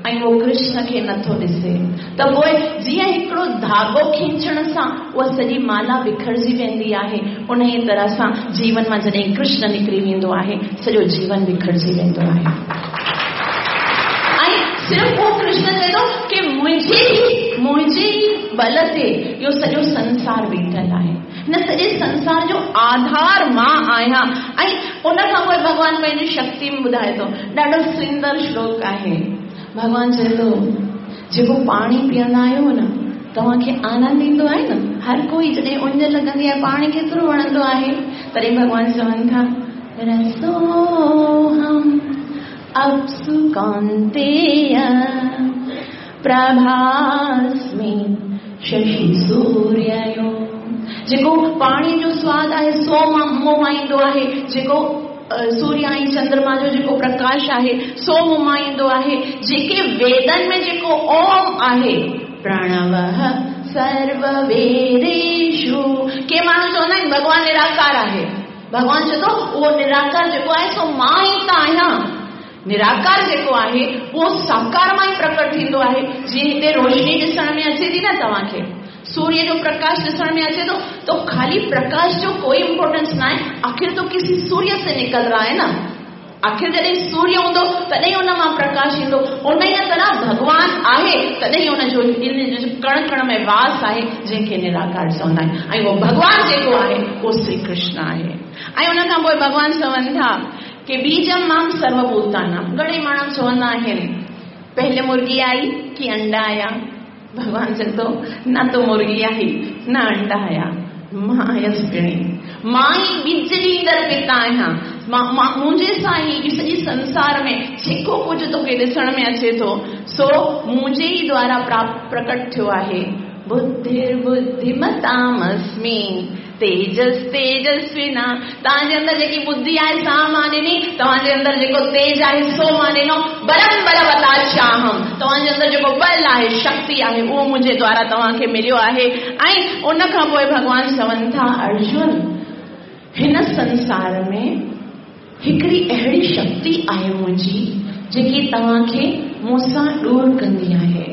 ऐं उहो कृष्ण खे नथो ॾिसे, त पोइ जीअं हिकिड़ो धागो खींचण सां उहा सॼी माला बिखरजी वेंदी आहे, उन ई तरह सां जीवन मां जॾहिं कृष्ण निकिरी वेंदो आहे, सॼो जीवन बिखरजी वेंदो आहे। ऐं सिर्फ़ उहो कृष्ण चए थो की मुंहिंजे ई मुंहिंजे ई बल ते इहो सॼो संसार बीठल आहे, हिन सॼे संसार जो आधार मां आहियां। ऐं उन खां पोइ भॻवान पंहिंजी शक्ति में ॿुधाए थो, ॾाढो सुंदर श्लोक आहे। भॻवान चए थो जेको पाणी पीअंदा आहियो न, तव्हांखे आनंद ईंदो आहे न, हर कोई जॾहिं उञ लॻंदी आहे पाणी केतिरो वणंदो आहे, तॾहिं भॻवान चवनि था रसोऽहम् अप्सु कौन्तेय प्रभास्मि शशि सूर्यो। जेको पाणी जो स्वाद आहे सो मूं मां ईंदो आहे, जेको सूर्य ऐं चंद्रमा जो जेको प्रकाश आहे सो मूं मां ईंदो आहे, जेके वेदन में जेको ओम आहे प्रणवः सर्ववेदेषु। के माण्हू चवंदा आहिनि भॻवान निराकार आहे, भॻवान चए थो उहो निराकार जेको आहे सो मां ई त आहियां। निराकार जेको आहे उहो साकार मां ई प्रकट थींदो आहे। जीअं हिते रोशनी ॾिसण में अचे थी न तव्हांखे, सूर्य जो प्रकाश ॾिसण में अचे थो, तो खाली प्रकाश जो कोई इम्पोर्टेंस न आहे, आख़िर तो किसी सूर्य से निकल रहा है ना। आख़िर जॾहिं सूर्य हूंदो तॾहिं उन मां प्रकाश ईंदो। उन ई तरह भॻवान आहे तॾहिं उनजो कण कण में वास आहे जंहिंखे निराकार चवंदा आहिनि। ऐं उहो भॻवान जेको आहे उहो श्री कृष्ण आहे। ऐं उन खां पोइ भॻवान चवनि था कि बीजम मां सर्वभूतानां। घणेई माण्हू चवंदा आहिनि पहले मुर्गी आई कि अंडा आया। भॻवान चए थो न तो मुर्गी आई न अंडा आया, मां आयसि पिणी, मां ई बीज ॾींदड़ पिता आहियां। मां मां मुंहिंजे सां ई सॼी संसार में जेको कुझु तोखे ॾिसण में अचे थो सो मुंहिंजे ई द्वारा प्राप्त प्रकट थियो आहे। बुद्धिर्बुद्धिमतामस्मि तेजस तेजस्विना। तव्हांजे अंदरि जेकी बुद्धि आहे सा मां ॾिनी, तव्हांजे अंदरि जेको तेज आहे सो मां ॾिनो। बलम बलवताचाहम, तव्हांजे अंदरि जेको बल आहे शक्ति आहे उहो मुंहिंजे द्वारा तव्हांखे मिलियो आहे। ऐं उन खां पोइ भॻवान चवनि था अर्जुन हिन संसार में हिकिड़ी अहिड़ी शक्ति आहे मुंहिंजी जेकी तव्हांखे मूंसां दूर कंदी आहे।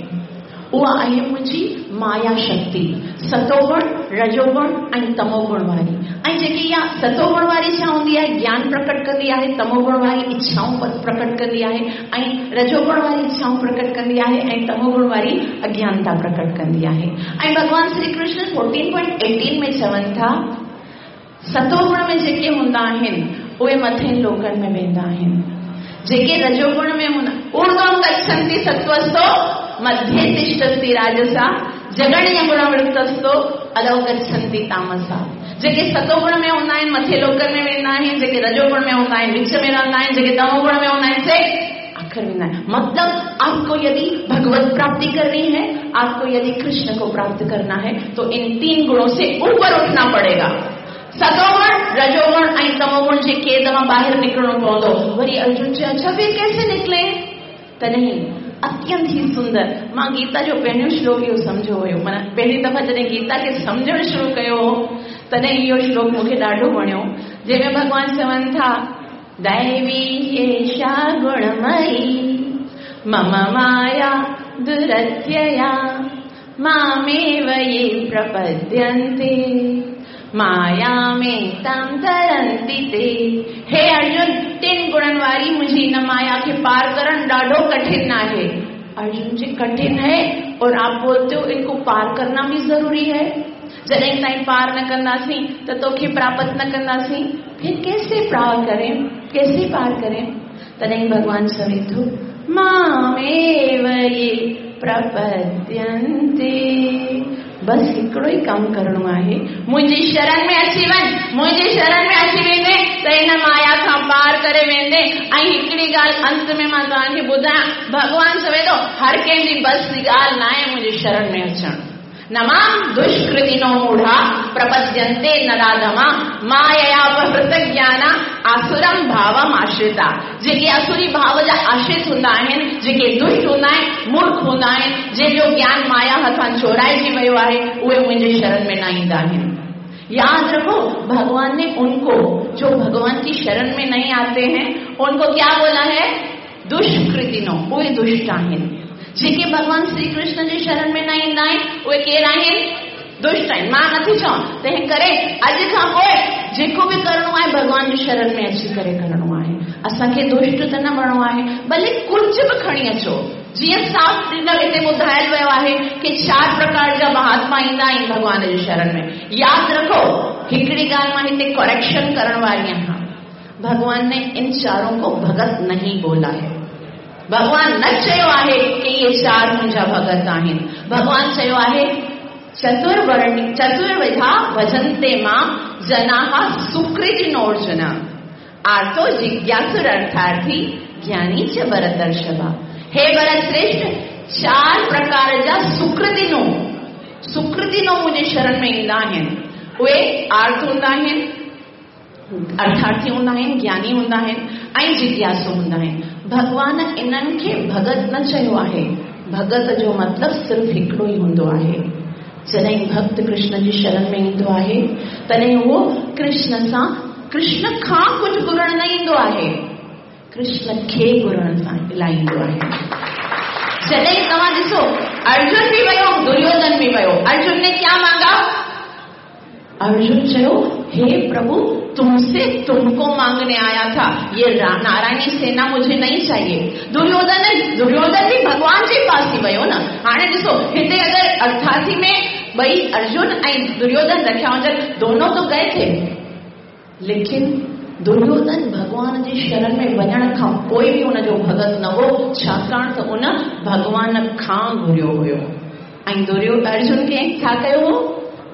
उहा आहे मुंहिंजी माया शक्ति, सतोगुण रजोगुण ऐं तमोगुण वारी। ऐं जेकी इहा सतोगुण वारी छा हूंदी आहे ज्ञान प्रकट कंदी आहे, तमोगुण वारी इच्छाऊं प्रकट कंदी आहे, ऐं रजोगुण वारी इच्छाऊं प्रकट कंदी आहे, ऐं तमोगुण वारी अज्ञानता प्रकट कंदी आहे। ऐं भॻवान Shri Krishna fourteen point eighteen में चवनि था सतोगुण में जेके हूंदा आहिनि उहे मथे लोकनि में वेंदा आहिनि, जेके रजोगुण में हूंदा ऊर्ध्वं गच्छन्ति सत्त्वस्थो मध्ये तिष्ठन्ति राजसा जगण्य गुणवृत्तस्थो अधो गच्छन्ति तामसा। जेके सतोगुण में हूंदा आहिनि मथे लोकनि में वेंदा आहिनि, जेके रजोगुण में हूंदा आहिनि विच में रहंदा आहिनि, जेके तमोगुण में हूंदा आहिनि से आखिर वेंदा आहिनि। मतलब आपको यदि भगवत प्राप्ति करनी है, आपको यदि कृष्ण को प्राप्त करना है तो इन तीन गुणों से ऊपर उठना पड़ेगा। सतोगुण रजोगुण ऐं तमोगुण जे क़ैद मां ॿाहिरि निकिरणो पवंदो। वरी अर्जुन चयो अच्छा फिर कैसे निकले? तॾहिं अत्यंत ही सुंदर मां गीता जो पहिरियों श्लोक इहो सम्झो हुयो, माना पहिरीं दफ़ा जॾहिं गीता खे सम्झणु शुरू कयो हो तॾहिं इहो श्लोक मूंखे ॾाढो वणियो, जंहिंमें भॻवान चवनि था दैवी एषा गुणमयी मम माया दुरत्यया मामेव ये प्रपद्यन्ते मायामेतां तरन्ति ते। हे अर्जुन टिनि गुणनि वारी मुंहिंजी इन माया खे पार करणु ॾाढो कठिन आहे। अर्जुन जी कठिन है और आप बोलते हो इनको पार करना भी जरूरी है। जॾहिं ताईं पार न कंदासीं त तोखे प्राप्त न कंदासीं, फिर कैसे पार करें, कैसे पार करें? तॾहिं भॻवान चवे थो मामेव ये प्रपद्यन्ते। बस हिकिड़ो ई कमु करिणो आहे, मुंहिंजी शरण में अची वञ, मुंहिंजी शरण में अची वेंदे त हिन माया खां पार करे वेंदे। ऐं हिकिड़ी ॻाल्हि अंत में मां तव्हांखे ॿुधायां, भॻवान चवे थो हर कंहिंजी बस जी ॻाल्हि न आहे मुंहिंजी शरण में अचणु। न मां दुष्कृतिनो मूढ़ा प्रपद्यन्ते नराधमा मायया अपहृत ज्ञाना आसुरम भावम आश्रिता। जेके असुरी भाव जा आश्रित हूंदा आहिनि, जेके दुष्ट हूंदा आहिनि, मूर्ख हूंदा आहिनि, जंहिंजो ज्ञान माया हथां चोराइजी वियो आहे, उहे मुंहिंजे शरण में न ईंदा आहिनि। याद रखो भगवान ने उनको जो भगवान की शरण में नहीं आते हैं उनको क्या बोला है? दुष्कृतिनो, उहे दुष्ट आहिनि। जेके भगवान श्री कृष्ण जे शरण में न ईंदा आहिनि उहे केरु आहिनि? दुष्ट आहिनि। मां नथी चवां, तंहिं करे अॼु खां पोइ जेको बि करिणो आहे भॻवान जी शरण में अची करे करिणो आहे। असांखे दुष्ट त न बणिणो आहे, भले कुझु बि खणी अचो। जीअं साफ़ हिते ॿुधायल वियो आहे की चारि प्रकार जा महात्मा ईंदा आहिनि भॻवान जे शरण में। यादि रखो हिकिड़ी ॻाल्हि मां हिते करेक्शन करण वारी आहियां, भगवान ने इन चारों को भगत नहीं बोला है। भगवान न चयो आहे कि इहे चार मुंहिंजा भगत आहिनि। भगवान चयो आहे चतुर्वर्णी चतुर्विधा भजन्ते मां जनाः सुकृतिनोऽर्जुन आर्तो जिज्ञासुर अर्थार्थी ज्ञानी च भरतर्षभ। हे भरत श्रेष्ठ, चार प्रकार जा सुकृतिनो, सुकृति नमूने शरण में ईंदा आहिनि, उहे आर्त हूंदा आहिनि, अर्थार्थी हूंदा आहिनि, ज्ञानी हूंदा आहिनि ऐं जिज्ञासु हूंदा आहिनि। भॻवान इन्हनि खे भगत न चयो आहे। भगत जो मतिलबु सिर्फ़ु हिकिड़ो ई हूंदो आहे। जॾहिं भक्त कृष्ण जी शरण में ईंदो आहे तॾहिं उहो कृष्ण सां, कृष्ण खां कुझु घुरण न ईंदो आहे, कृष्ण खे घुरण सां इलाईंदो आहे। जॾहिं तव्हां ॾिसो अर्जुन बि वियो, दुर्योधन बि वियो। अर्जुन ने क्या मांगा? अर्जुन चयो, हे प्रभु तुमसे तुमको मांगने आया था, ये नारायणी सेना मुझे नहीं चाहिए। दुर्योधन दुर्योधन भी भगवान जे पास ही वियो न। हाणे ॾिसो हिते अगरि अर्थार्थी में ॿई अर्जुन ऐं दुर्योधन रखिया हुजनि, दोनों तो गए थे, लेकिन दुर्योधन भॻवान जी शरण में वञण खां पोइ बि उनजो भगत न हो, छाकाणि त उन भॻवान खां घुरियो हुयो। ऐं दुर्यो अर्जुन खे छा कयो हो?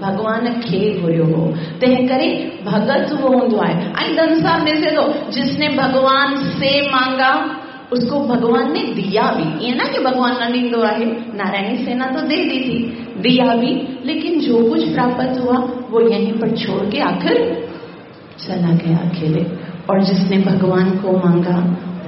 भॻवान खे घुरियो हो। तंहिं करे भगत उहो हूंदो आहे। ऐं संसार ॾिसे थो, जिसने भगवान से मांगा उसको भगवान ने दिया भी। ईअं न कि भगवान न ॾींदो आहे, नारायणी सेना तो दे दी थी, दिया भी, लेकिन जो कुछ प्राप्त हुआ वो यहीं पर छोड़ के आखिर चला गया अकेले। और जिसने भगवान को मांगा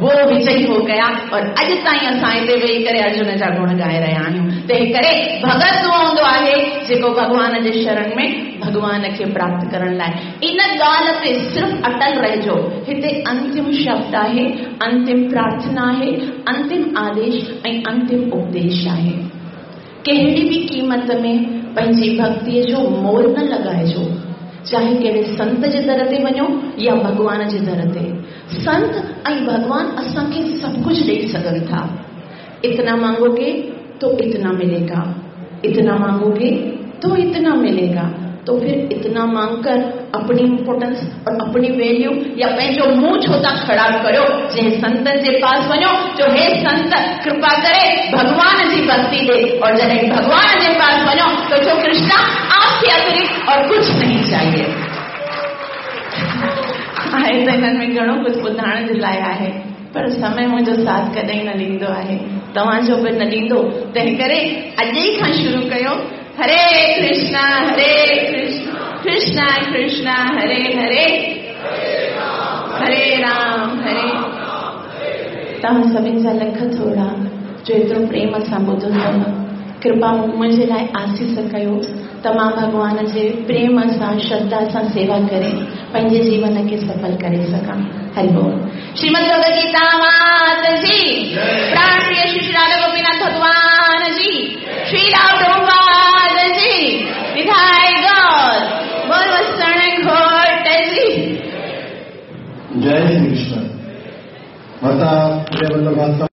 वो विजयी हो गया। और अॼु ताईं असां हिते वेही करे अर्जुन जा गुण ॻाए रहिया आहियूं। तंहिं करे भगत उहो हूंदो आहे जेको भॻवान जे शरण में भॻवान खे प्राप्त करण लाइ इन ॻाल्हि ते सिर्फ़ु अटल रहिजो। हिते अंतिम शब्द आहे, अंतिम प्रार्थना आहे, अंतिम आदेश ऐं अंतिम उपदेश आहे। कहिड़ी बि क़ीमत में पंहिंजी भक्तीअ जो मोल न लॻाइजो, चाहे कहिड़े संत जे दर ते वञो या भॻवान जे दर ते। संत ऐं भॻवान असांखे सभु कुझु ॾेई सघनि था। इतना मांगोगे तो इतना मिलेगा, इतना मांगोगे तो इतना मिलेगा। तो फिर इतना मांगकर अपनी इम्पोर्टेंस और अपनी वैल्यू या पंहिंजो मुंहुं छो था ख़राबु करियो? जंहिं संतनि जे पास वञो, जो हे संत कृपा करे भॻवान जी भक्ति ॾे। और जॾहिं भॻवान जे पास वञो तो चओ कृष्णा आपके अतिरिक्त और कुछ नहीं चाहिए। आहे त हिननि में घणो कुझु ॿुधाइण जे लाइ आहे, पर समय मुंहिंजो साथ कॾहिं न ॾींदो आहे, तव्हांजो बि न ॾींदो। तंहिं करे अॼु ई खां शुरू कयो। हरे कृष्णा हरे कृष्णा कृष्णा कृष्णा हरे हरे, हरे राम हरे। तव्हां सभिनी जा लख थोरा जो एतिरो प्रेम सां ॿुधो अथव। कृपा मुंहिंजे लाइ आसीस कयो त मां भॻवान जे प्रेम सां श्रद्धा सां सेवा करे पंहिंजे जीवन खे सफल करे सघां। हरि बोल। श्रीमद् भगवद गीता मात की।